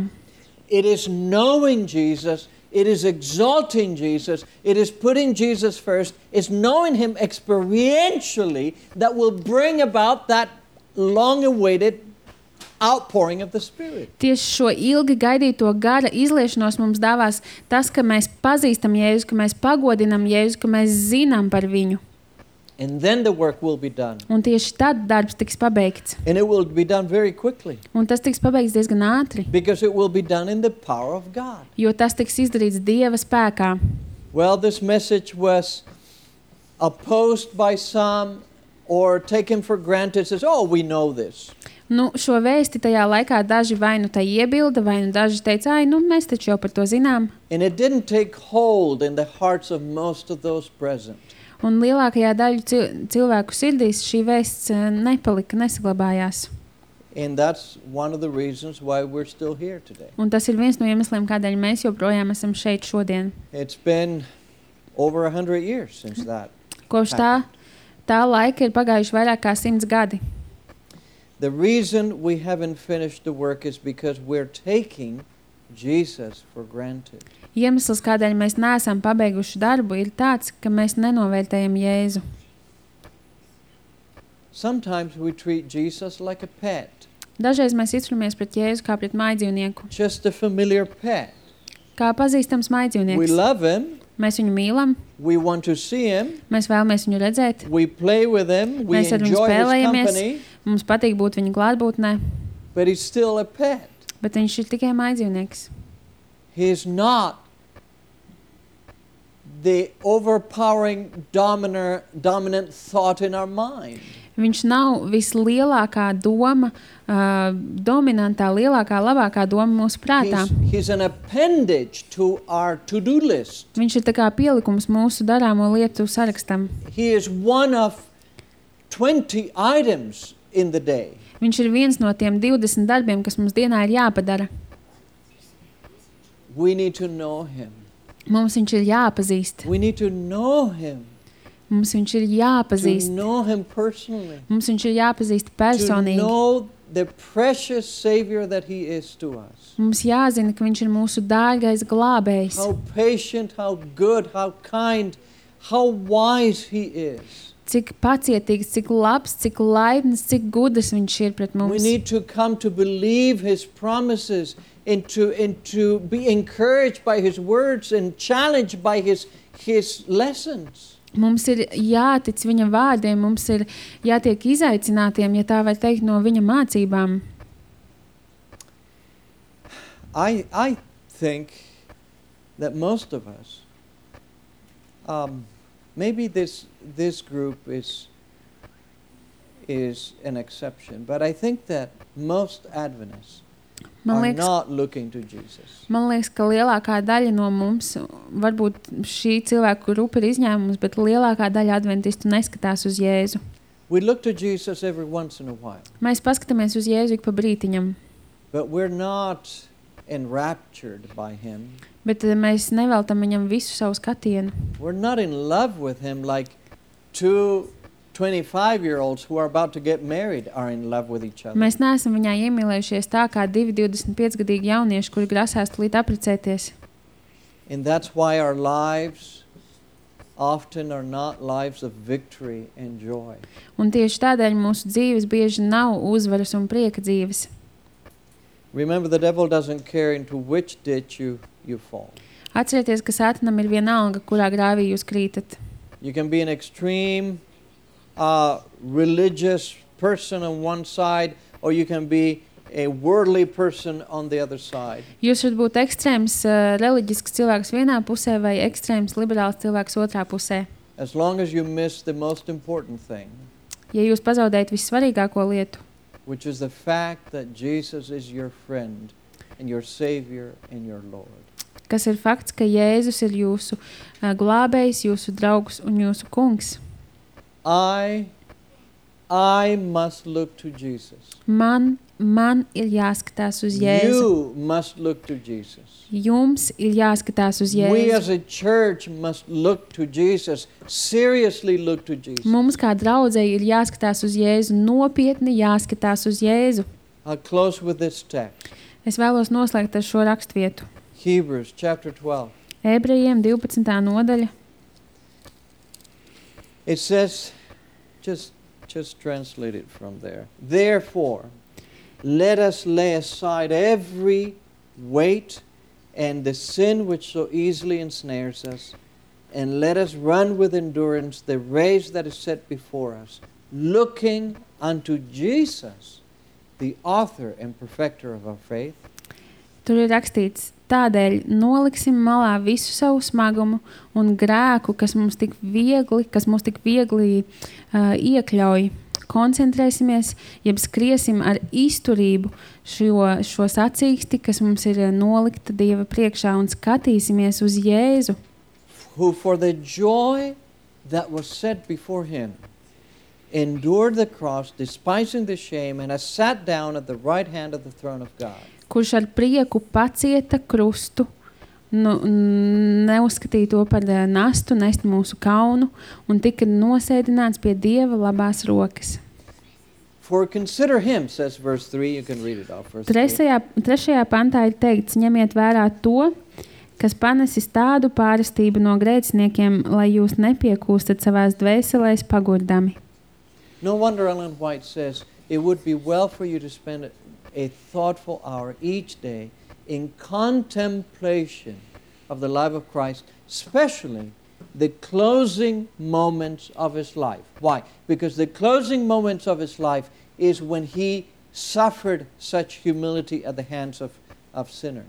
It is knowing Jesus, it is exalting Jesus, it is putting Jesus first, it's knowing Him experientially that will bring about that long-awaited outpouring of the Spirit. Tieši šo ilgi gaidīto gara izliešanos mums dāvās tas, ka mēs pazīstam Jēzu, ka mēs pagodinam Jēzu, ka mēs zinām par viņu. And then the work will be done. Un tieši tad darbs tiks pabeigts. And it will be done very quickly Un tas tiks pabeigts diezgan ātri, because it will be done in the power of God. jo tas tiks izdarīts Dieva spēkā. Well, this message was opposed by some or taken for granted, says, oh, we know this. Nu, šo vēsti tajā laikā daži vai nu tā iebilda, vai nu daži teica, ai, nu, mēs taču jau par to zinām. And it didn't take hold in the hearts of most of those present. Un lielākajā daļu cil cilvēku sirdīs šī vēsts eh, nepalika, nesaglabājās. And that's one of the reasons why we're still here today. Un tas ir viens no iemesliem, kādēļ mēs joprojām esam šeit šodien. It's been over a hundred years since that. Kopš tā, tā laika ir pagājuši vairāk kā simts gadi. The reason we haven't finished the work is because we're taking Jesus for granted. Iemesls, kādēļ mēs neesam pabeiguši darbu, ir tāds, ka mēs nenovērtējam Jēzu. Sometimes we treat Jesus like a pet. Dažreiz mēs izturamies pret Jēzu kā pret mājdzīvnieku, Just a familiar pet. kā pazīstams We mājdzīvnieks. love him. Mēs viņu mīlam, We want to see him. mēs vēlamies viņu redzēt, We play with him. We mēs ar viņu enjoy his spēlējamies, company. mums patīk būt viņa klātbūtnē, But he's still a pet. bet viņš ir tikai mājdzīvnieks. He is not the overpowering dominant, dominant thought in our mind. Viņš nav vislielākā doma, uh, dominantā, lielākā, labākā doma mūsu prātā. He's, he's an appendage to our to-do list. Viņš ir tā kā pielikums mūsu darāmo lietu sarakstam. He is one of twenty items in the day. Viņš ir viens no tiem divdesmit darbiem, kas mums dienā ir jāpadara. We need to know him. Mums viņš ir jāpazīst. We need to know him. Mums viņš ir To jāpazīst. know him personally. Mums viņš ir jāpazīst To personīgi. know the precious Savior that he is to us. Mums jāzina, ka viņš ir mūsu dārgais glābējs. How patient, how good, how kind, how wise he is. Cik pacietīgs, cik labs, cik laipns, cik gudrs viņš ir pret We mums. need to come to believe his promises and to, and to be encouraged by his words and challenged by his, his lessons. Mums ir jātic viņa vārdiem, mums ir jātiek izaicinātiem, ja tā var teikt, no viņa mācībām. I, I think that most of us, um, maybe this, this group is, is an exception, but I think that most Adventists Man are liekas, not looking to Jesus. man liekas, ka lielākā daļa no mums, varbūt šī cilvēku grupa ir izņēmums, bet lielākā daļa adventistu neskatās uz Jēzu. We look to Jesus every once in a while, Mēs paskatāmies uz Jēzu ik pa brītiņam, but we're not enraptured by him. bet eh, mēs neveltam viņam visu savu skatienu. We're not in love with him like two twenty-five-year-olds who are about to get married are in love with each other. Mēs neesam viņā iemīlējušies tā kā divi divdesmit pieci gadīgi jaunieši, kuri grasās tulīt apprecēties. And that's why our lives often are not lives of victory and joy. Un tieši tādēļ mūsu dzīves bieži nav uzvaras un prieka dzīves. Remember, the devil doesn't care into which ditch you, you fall. Atcerieties, ka Sātanam ir vienalga, kurā grāvī jūs krītat. You can be an extreme uh, religious person on one side, or you can be a worldly person on the other side. Jūs varat būt ekstrēms uh, reliģisks cilvēks vienā pusē vai ekstrēms liberāls cilvēks otrā pusē. As long as you miss the most important thing, Ja jūs pazaudējat vissvarīgāko lietu, which is the fact that Jesus is your friend and your Savior and your Lord. kas ir fakts, ka Jēzus ir jūsu uh, glābējs, jūsu draugs un jūsu kungs. I, I must look to Jesus. Man, man ir jāskatās uz Jēzu. You must look to Jesus. Jums ir jāskatās uz We as Jēzu. a church must look to Jesus, seriously look to Jesus. Mums kā draudzei ir jāskatās uz Jēzu, nopietni jāskatās uz Jēzu. I'll close with this text. Es vēlos noslēgt ar šo rakstvietu. Hebrews chapter twelve. Ebrejiem divpadsmitā nodaļa. It says, just, just translate it from there. Therefore, let us lay aside every weight and the sin which so easily ensnares us, and let us run with endurance the race that is set before us, looking unto Jesus, the author and perfecter of our faith. Tur ir rakstīts, tādēļ noliksim malā visu savu smagumu un grēku, kas mums tik viegli, kas mums tik viegli uh, iekļauj. Koncentrēsimies, jeb skriesim ar izturību šo, šo sacīksti, kas mums ir nolikta Dieva priekšā, un skatīsimies uz Jēzu, Who for the joy that was set before him endured the cross, despising the shame, and has sat down at the right hand of the throne of God. kurš ar prieku pacieta krustu, nu, neuzskatīja to par eh, nastu, nest mūsu kaunu, un tika nosēdināts pie Dieva labās rokas. For consider him, says verse three. You can read it off. Verse Trešajā, trešajā pantā ir teikts, ņemiet vērā to, kas panesis tādu pārestību no grēciniekiem, lai jūs nepiekūstat savās dvēselēs pagurdami. No wonder Ellen White says, it would be well for you to spend a, a thoughtful hour each day in contemplation of the life of Christ, especially the closing moments of his life. Why? Because the closing moments of his life is when he suffered such humility at the hands of, of sinners.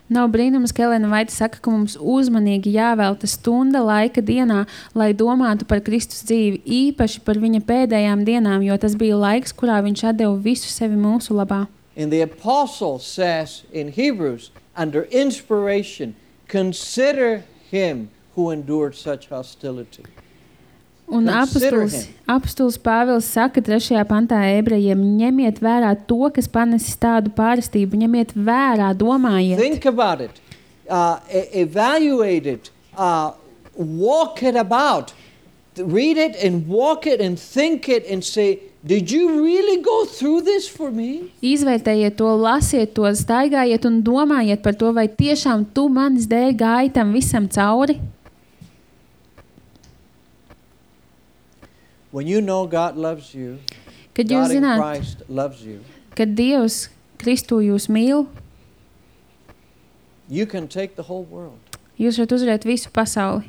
Nav brīnums, ka Elena Vaita saka, ka mums uzmanīgi jāvelta stunda laika dienā, lai domātu par Kristus dzīvi, īpaši par viņa pēdējām dienām, jo tas bija laiks, kurā viņš atdeva visu sevi mūsu labā. And the apostle says in Hebrews, under inspiration, consider him who endured such hostility. Un apostols, apostols Pāvils saka trešajā pantā ebrejiem, ņemiet vērā to, kas panesis tādu pārestību, ņemiet vērā, domājiet. Think about it, uh, e- evaluate it, uh, walk it about, read it and walk it and think it and say, did you really go through this for me? Izvērtējiet to, lasiet to, staigājiet un domājiet par to, vai tiešām tu manis dēļ gāji tam visam cauri. When you know God loves you, Kad jūs God in zināt, Christ loves you, kad Dievs Kristu jūs mīl, you can take the whole world. jūs varat uzvarēt visu pasauli.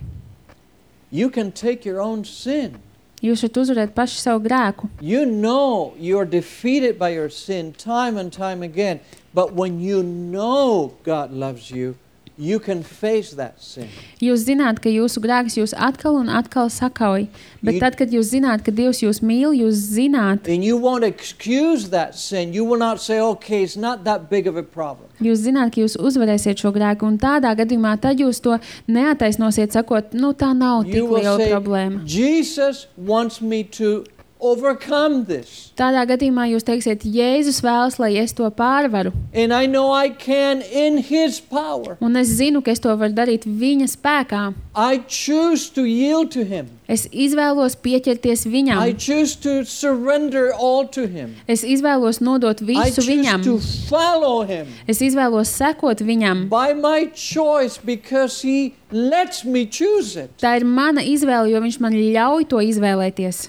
You can take your own sin. Jūs varat uzvarēt paši savu grēku. You know you're defeated by your sin time and time again, but when you know God loves you, you can face that sin. Jūs zināt, ka jūsu grēks jūs atkal un atkal sakauj, bet You- tad, kad jūs zināt, ka Dievs jūs mīl, jūs zināt, And you won't excuse that sin. You will not say, okay, it's not that big of a problem. jūs zināt, ka jūs uzvarēsiet šo grēku, un tādā gadījumā tad jūs to neataisnosiet, sakot, nu tā nav You tik will liela say, problēma. Jesus wants me to overcome this. Tādā gadījumā jūs teiksiet, Jēzus vēlas, lai es to pārvaru, And I know I can in his power. un es zinu, ka es to varu darīt viņa spēkā. I choose to yield to him. Es izvēlos pieķerties I viņam. choose to surrender all to him. Es izvēlos nodot I visu choose viņam. to follow him Es izvēlos sekot viņam. by my choice because he lets me choose it. Tā ir mana izvēle, jo viņš man ļauj to izvēlēties.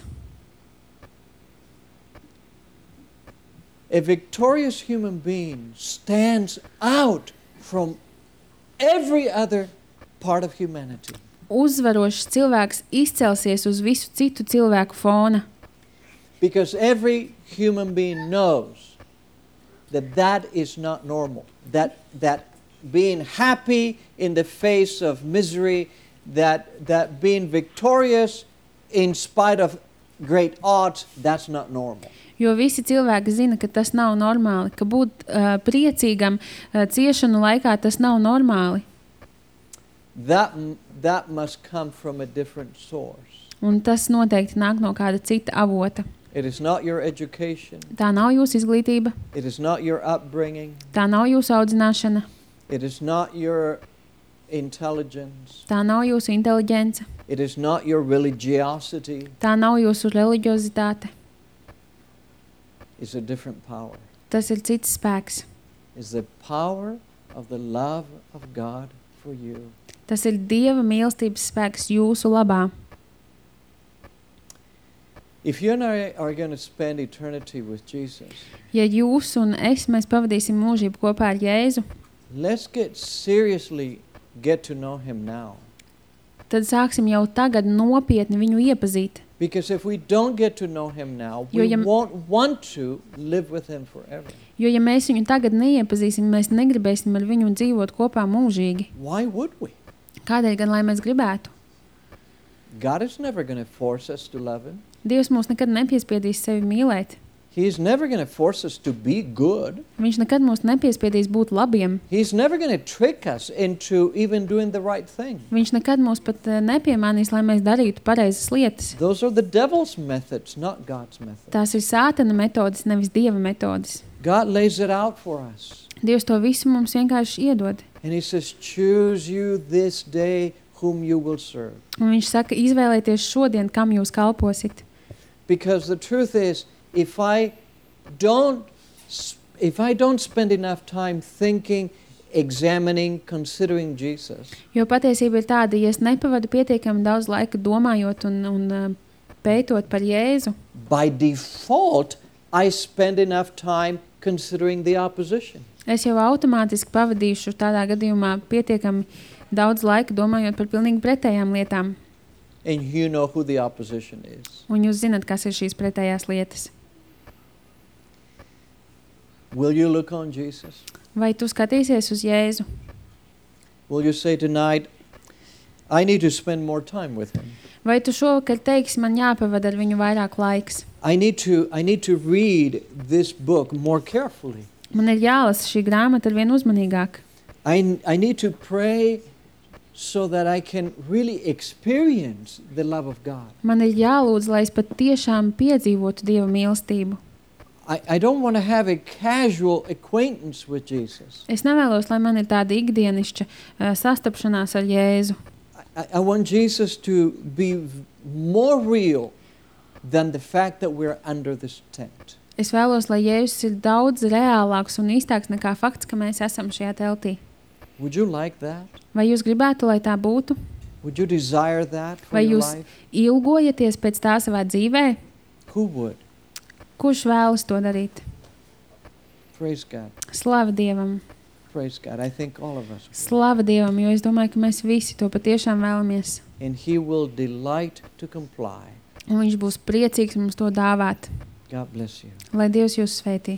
A victorious human being stands out from every other part of humanity. Uzvarošs cilvēks izcelsies uz visu citu cilvēku fona, Because every human being knows that that is not normal. That, that being happy in the face of misery, that, that being victorious in spite of great odds, that's not normal. jo visi cilvēki zina, ka tas nav normāli, ka būt uh, priecīgam uh, ciešanu laikā tas nav normāli. That, m- that must come from a different source. Un tas noteikti nāk no kāda cita avota. It is not your education. Tā nav jūsu izglītība, It is not your upbringing. tā nav jūsu audzināšana, It is not your intelligence. tā nav jūsu inteliģence, It is not your religiosity. tā nav jūsu reliģiozitāte. It's a different power. Tas ir cits spēks. It's the power of the love of God for you. Tas ir Dieva mīlestības spēks jūsu labā. If you and I are going to spend eternity with Jesus, Ja jūs un es, mēs pavadīsim mūžību kopā ar Jēzu, let's get seriously get to know him now. tad sāksim jau tagad nopietni viņu iepazīt. Because if we don't get to know him now, Jo, we ja- won't want to live with him forever. Jo, ja mēs viņu tagad neiepazīsim, mēs negribēsim ar viņu dzīvot kopā mūžīgi. Why would we? Kādēļ gan, lai mēs gribētu? God is never going to force us to love him. Dievs mūs nekad nepiespiedīs sevi mīlēt. He's never going to force us to be good. Viņš nekad mūs nepiespiedīs būt labiem. He's never going to trick us into even doing the right thing. Viņš nekad mūs pat eh, nepiemānīs, lai mēs darītu pareizas lietas. Those are the devil's methods, not God's methods. Tās ir sātana metodes, nevis Dieva metodes. God lays it out for us. Dievs to visu mums vienkārši iedod. And he says, choose you this day whom you will serve. Un viņš saka, izvēlēties šodien, kam jūs kalposit. Because the truth is, if I don't, s- if I don't spend enough time thinking, examining, considering Jesus, Jo patiesība ir tāda, ja es nepavadu pietiekami daudz laika domājot un, un uh, pētot par Jēzu, by default, I spend enough time considering the opposition. es jau automātiski pavadīšu tādā gadījumā pietiekami daudz laika domājot par pilnīgi pretējām lietām. And you know who the opposition is. Un jūs zināt, kas ir šīs pretējās lietas. Will you look on Jesus? Vai tu skatīsies uz Jēzu? Will you say tonight, I need to spend more time with him? Vai tu šovakar teiksi, man jāpavada ar viņu vairāk laiks? I need to, I need to read this book more carefully. Man ir jālasa šī grāmata ar vien uzmanīgāk. I, I need to pray so that I can really experience the love of God. Man ir jālūdz, lai es pat tiešām piedzīvotu Dieva mīlestību. I, I don't want to have a casual acquaintance with Jesus. Es nevēlos, lai man ir tāda ikdienišķa uh, sastapšanās ar Jēzu. I, I want Jesus to be v- more real than the fact that we're under this tent. Es vēlos, lai Jēzus ir daudz reālāks un īstāks nekā fakts, ka mēs esam šajā teltī. Would you like that? Vai jūs gribētu, lai tā būtu? Would you desire that for Vai your jūs life? ilgojaties pēc tā savā dzīvē? Who would? Kurš vēlas to darīt? Praise God. Slava Dievam! Praise God. I think all of us would. Slava Dievam, jo es domāju, ka mēs visi to patiešām vēlamies. And he will delight to comply. Un viņš būs priecīgs mums to dāvāt. God bless you. Lai Dievs jūs sveitī!